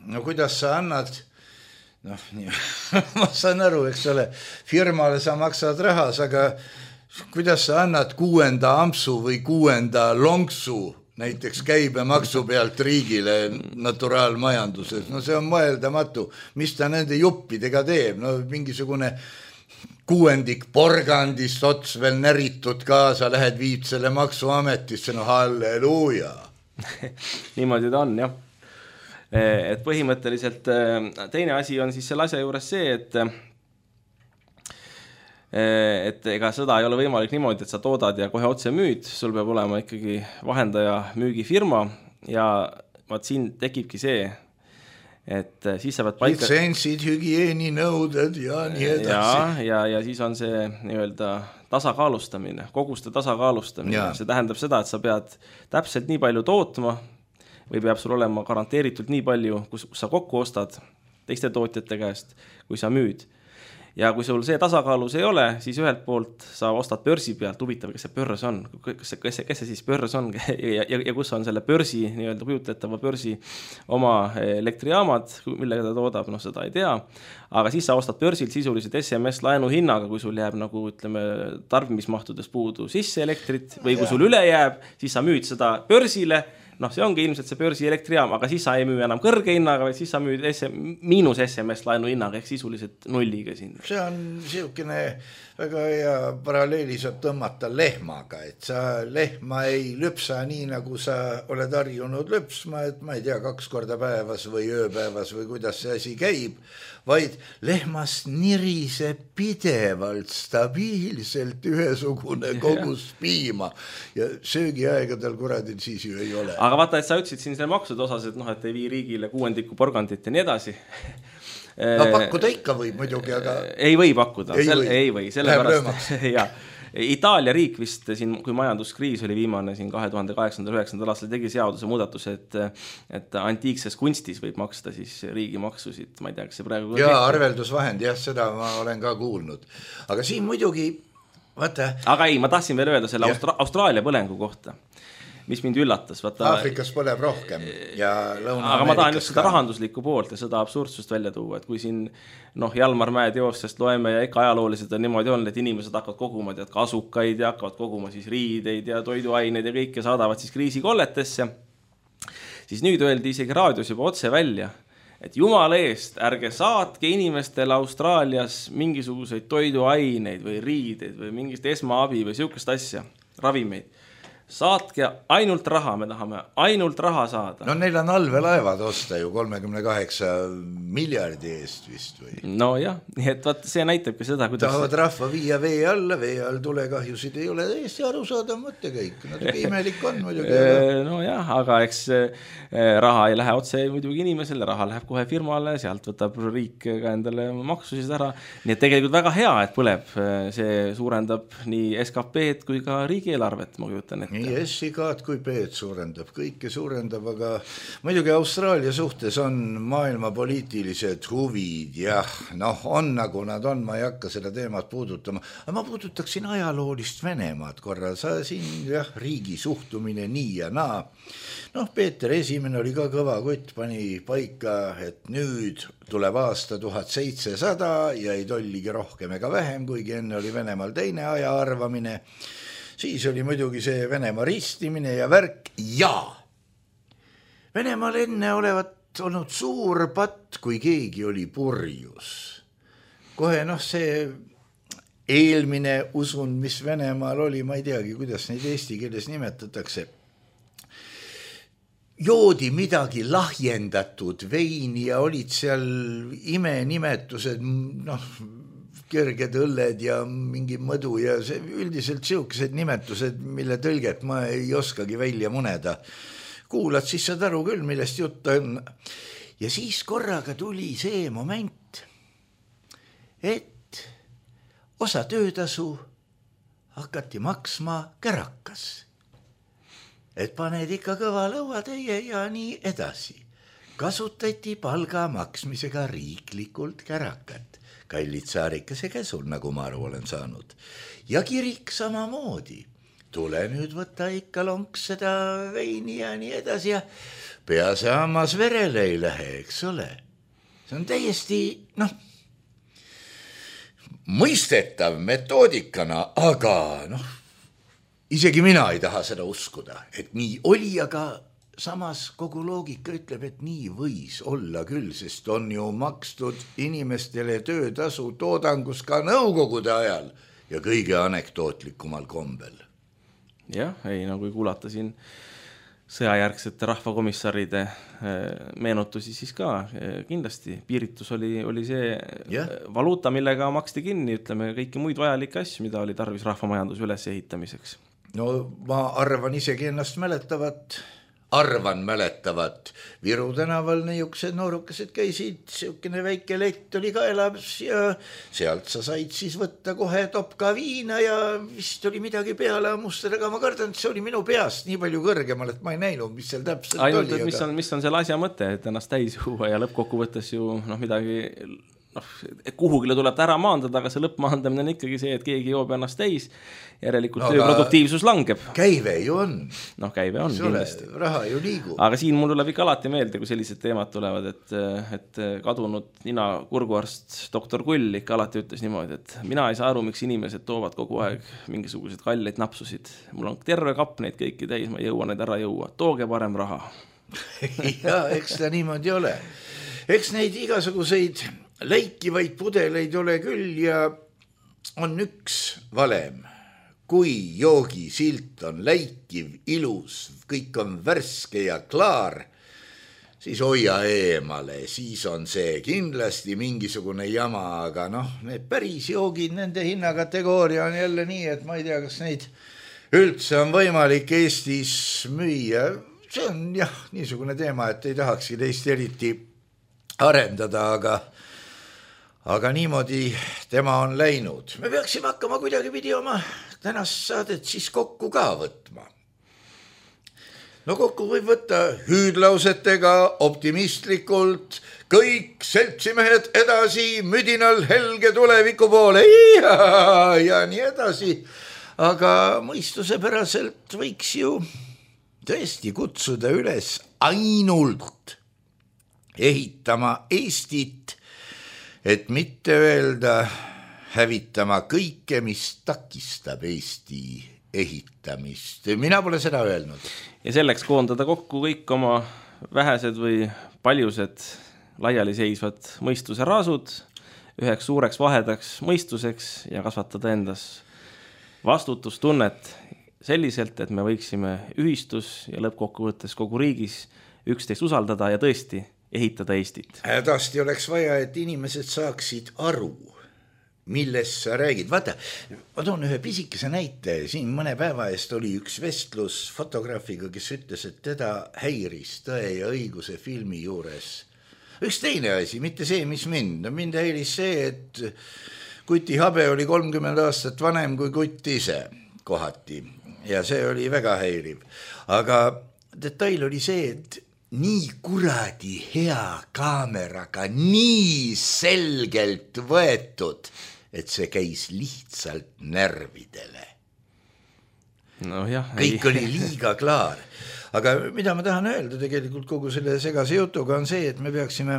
no kuidas sa annad, noh, nii, ma saan aru, eks ole, firmale sa maksad rahas, aga kuidas sa annad kuuenda ampsu või kuuenda lonksu näiteks käibemaksu pealt riigile naturaalmajanduses, no see on mõeldamatu, mis ta nende juppidega teeb, no mingisugune kuuendik porgandist ots veel näritud kaasa, lähed viid selle maksuametisse, no halleluuja. Niimoodi ta on, jah. Et põhimõtteliselt teine asi on siis selle asja juures see, et et ega seda ei ole võimalik niimoodi, et sa toodad ja kohe otse müüd, sul peab olema ikkagi vahendaja müügifirma ja vaat siin tekibki see, et siis sa pead paika... Litsentsid, hügieeninõuded ja nii edasi. Ja, ja, ja siis on see nii-öelda tasakaalustamine, koguste tasakaalustamine. Ja. See tähendab seda, et sa pead täpselt nii palju tootma või peab sul olema garanteeritult nii palju, kus sa kokku ostad teiste tootjate käest, kui sa müüd. Ja kui sul see tasakaalus ei ole, siis ühelt poolt sa ostad börsi pealt, huvitav, kes see börs on, kes see, kes see, kes see siis börs on ja, ja, ja kus on selle börsi, nii-öelda kujutetava börsi oma elektrijaamad, millega ta toodab, noh seda ei tea, aga siis sa ostad börsilt sisuliselt S M S laenu hinnaga, kui sul jääb nagu ütleme tarbimismahtudes puudu sisse elektrit või kui sul üle jääb, siis sa müüd seda börsile. Noh, see ongi ilmselt see börsi elektrijaam, aga siis sa ei müü enam kõrge hinnaga, vaid siis sa müüd S M, miinus S M S laenu hinnaga, ehk sisuliselt nulliga siin. See on siukene väga hea paralleeli saab tõmmata lehmaga, et sa lehma ei lüpsa nii, nagu sa oled harjunud lüpsma, et ma ei tea, kaks korda päevas või ööpäevas või kuidas see asi käib, vaid lehmast nirise pidevalt, stabiilselt ühesugune kogus piima ja söögiaegadel kuradil siis ju ei ole. Aga vaata, et sa ütlesid siin selle maksude osas, et noh, et ei vii riigile kuuendiku porgandit ja nii edasi. No pakkuda ikka võib muidugi, aga... Ei või pakkuda, ei, Sel... või. ei või, sellepärast... ja. Itaalia riik vist siin, kui majanduskriis oli viimane siin kahe tuhande kaheksandal üheksandal aastal tegi seaduse muudatuse, et, et antiikses kunstis võib maksta siis riigimaksusid, ma ei tea, kas see praegu... Jaa, arveldusvahend, jah, seda ma olen ka kuulnud. Aga siin muidugi, vaata... Aga ei, ma tahtsin veel öelda selle Austra- Austraalia põlengu kohta, mis mind üllatas. Vaata, Aafrikas põleb rohkem ja Lõuna-Ameerikas. Aga ma tahan just seda rahanduslikku poolt ja seda absurdsust välja tuua, et kui siin noh, Jalmar Mäe teostest loeme ja ikka ajalooliselt on niimoodi on, et inimesed hakkavad koguma tead, kasukaid ja hakkavad koguma siis riideid ja toiduaineid ja kõike saadavad siis kriisikolletesse, siis nüüd öeldi isegi raadios juba otse välja, et jumala eest, ärge saatke inimestele Austraalias mingisuguseid toiduaineid või riideid või mingist esmaabi või siukest asja, ravimeid. saatke ainult raha, me tahame ainult raha saada. No neil on allveelaevad osta ju kolmekümne kaheksa miljardi eest vist või? No jah, nii et vaat see näitab ka seda, kuidas... Tahavad rahva viia vee alla, vee all tulekahjusid ei ole täiesti aru saada mõttekäik. Natuke imelik on muidugi. No jah, aga eks raha ei lähe otse muidugi inimesele, raha läheb kohe firmale, sealt võtab riik ka endale maksusid ära. Nii et tegelikult väga hea, et põleb. See suurendab nii S K P-d kui ka riigieelarvet, ma kujutan ette. Nii S-i-kaad kui P-d suurendab, kõike suurendab, aga muidugi Austraalia suhtes on maailma poliitilised huvid, jah, noh, on nagu nad on, ma ei hakka seda teemat puudutama, aga ma puudutaksin ajaloolist Venemaad korra, sa siin, jah, riigi suhtumine nii ja naa. Noh, Peeter Esimene oli ka kõva kutt, pani paika, et nüüd tuleb aasta tuhat seitsesada ja ei tolligi rohkem ega vähem, kuigi enne oli Venemaal teine aja arvamine. Siis oli muidugi see Venemaa ristimine ja värk ja Venemaal enne olevat olnud suur patt, kui keegi oli purjus. Kohe noh, see eelmine usun, mis Venemaal oli, ma ei teagi, kuidas neid eesti keeles nimetatakse, joodi midagi lahjendatud veini ja olid seal imenimetused, noh, kerged õlled ja mingi mõdu ja see üldiselt siukesed nimetused, mille tõlget ma ei oskagi välja muneda. Kuulad, siis saad aru küll, millest jutt on. Ja siis korraga tuli see moment, et osa töötasu hakati maksma kärakas. Et paned ikka kõva lõua teie ja nii edasi. Kasutati palga maksmisega riiklikult kärakat. Kallid saarikese käsul, nagu ma aru olen saanud. Ja kirik samamoodi. Tule nüüd võtta ikka lonks seda veini ja nii edasi ja pea see hammas verele ei lähe, eks ole. See on täiesti, noh, mõistetav metoodikana, aga noh, isegi mina ei taha seda uskuda, et nii oli, aga samas kogu loogika ütleb, et nii võis olla küll, sest on ju makstud inimestele töötasu toodangus ka nõukogude ajal ja kõige anekdootlikumal kombel. Jah, ei, no kui kuulata siin sõjajärgsete rahvakomissaride meenutusi, siis ka kindlasti piiritus oli, oli see ja. Valuuta, millega maksti kinni, ütleme, kõiki muid vajalikke asju, mida oli tarvis rahvamajanduse üles ehitamiseks. No ma arvan isegi ennast mäletavat, arvan mäletavat. Viru tänaval niisugused noorukesed käisid, siukene väike lett oli kaelabs ja sealt sa said siis võtta kohe topka viina ja vist oli midagi peale ammustada, aga ma kardan, et see oli minu peast nii palju kõrgemal, et ma ei näinud, mis seal täpselt Ainult, oli. Mis on, mis on selle asja mõte, et ennast täis juua ja lõppkokkuvõttes ju noh, midagi... noh, kuhugile tuleb ära maandada, aga see lõppmaandamine on ikkagi see, et keegi joob ennast täis, järelikult no, tööproduktiivsus langeb. Käive ju on. Noh, käive on kindlasti. Raha ju liigub. Aga siin mul tuleb ikka alati meelde, kui sellised teemad tulevad, et, et kadunud nina kurguarst doktor Kull ikka alati ütles niimoodi, et mina ei saa aru, miks inimesed toovad kogu aeg mingisugused kalleid napsusid. Mul on terve kapp neid kõiki täis, ma ei jõua neid ära jõua. Tooge parem raha. Ja, eks ta niimoodi ole. Eks neid igasuguseid läikivaid pudeleid ole küll ja on üks valem. Kui joogisilt on läikiv, ilus, kõik on värske ja klaar, siis hoia eemale, siis on see kindlasti mingisugune jama, aga noh, need päris joogid, nende hinnakategooria on jälle nii, et ma ei tea, kas neid üldse on võimalik Eestis müüa. See on jah, niisugune teema, et ei tahakski teist eriti arendada, aga Aga niimoodi tema on läinud. Me peaksime hakkama kuidagi pidi oma tänast saadet siis kokku ka võtma. No kokku võib võtta hüüdlausetega, optimistlikult, kõik seltsimehed edasi, müdinal helge tuleviku poole ja, ja nii edasi. Aga mõistusepäraselt võiks ju tõesti kutsuda üles ainult ehitama Eestit, et mitte öelda hävitama kõike, mis takistab Eesti ehitamist. Mina pole seda öelnud. Ja selleks koondada kokku kõik oma vähesed või paljused laialiseisvad mõistuse raasud üheks suureks vahedaks mõistuseks ja kasvatada endas vastutustunnet selliselt, et me võiksime ühistus ja lõppkokkuvõttes kogu riigis üksteist usaldada ja tõesti ehitada Eestit. Hädasti oleks vaja, et inimesed saaksid aru, millest sa räägid. Vaata, ma toon ühe pisikese näite. Siin mõne päeva eest oli üks vestlus fotograafiga, kes ütles, et teda häiris Tõe ja õiguse filmi juures üks teine asi, mitte see, mis mind. Mind häiris see, et Kuti Habe oli kolmkümmend aastat vanem kui Kutt ise kohati ja see oli väga häiriv. Aga detail oli see, et nii kuradi hea kaameraga, nii selgelt võetud, et see käis lihtsalt närvidele. No jah, kõik ei. Oli liiga klaar. Aga mida ma tahan öelda tegelikult kogu selle segase jutuga on see, et me peaksime,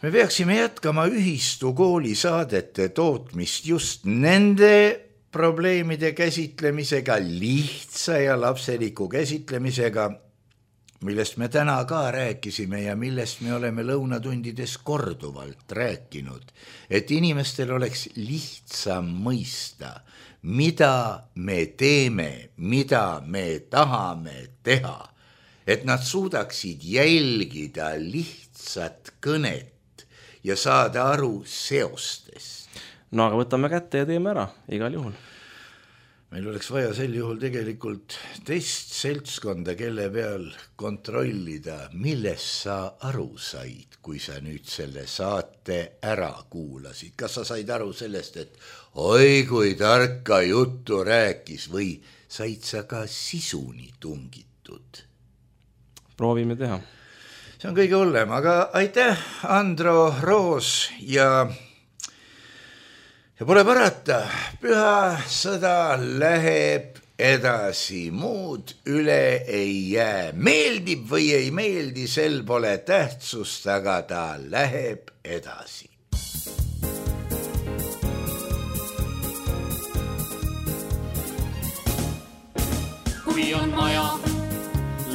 me peaksime jätkama ühistu kooli saadete tootmist just nende probleemide käsitlemisega, lihtsa ja lapseliku käsitlemisega, millest me täna ka rääkisime ja millest me oleme lõunatundides korduvalt rääkinud, et inimestel oleks lihtsam mõista, mida me teeme, mida me tahame teha, et nad suudaksid jälgida lihtsat kõnet ja saada aru seostest. No aga võtame kätte ja teeme ära, igal juhul. Meil oleks vaja sel juhul tegelikult teist seltskonda, kelle peal kontrollida, millest sa aru said, kui sa nüüd selle saate ära kuulasid. Kas sa said aru sellest, et oi kui tarka juttu rääkis või said sa ka sisuni tungitud? Proovime teha. See on kõige hullem, aga aitäh, Andro Roos ja... Ja pole parata, püha sõda läheb edasi, muud üle ei jää. Meeldib või ei meeldi, sel pole tähtsust, aga ta läheb edasi. Kui on maja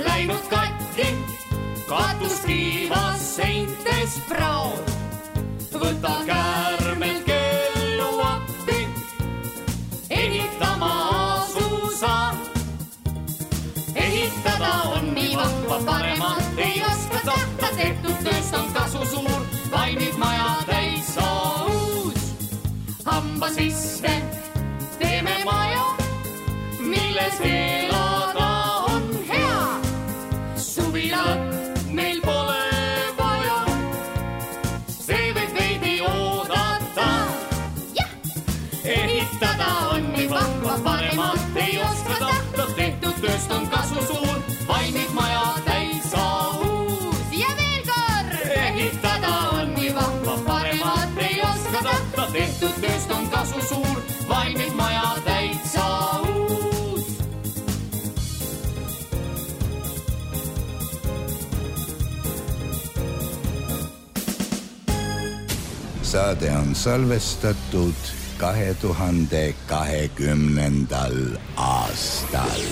läinud katki, katus kiivas seintes praod, võta käärmelt ehitada on nii vahva, paremat ei oska tahta, tehtud tööst on kasu suur, valmib maja täis uus. Hamba sisse teeme maja, milles elada on hea. Suvilat meil pole vaja, see võib veidi oodata. Ja. Ehitada on nii vahva, paremat ei oska tahta, tehtud tööst on kasu suur, valmib maja täis uus. Ja veel kord! Ehitada on nii vahva, paremat ei oska tahta, tehtud tööst on kasu suur, valmib maja täis uus. Saade on salvestatud kahe tuhande kahekümnendal aastal.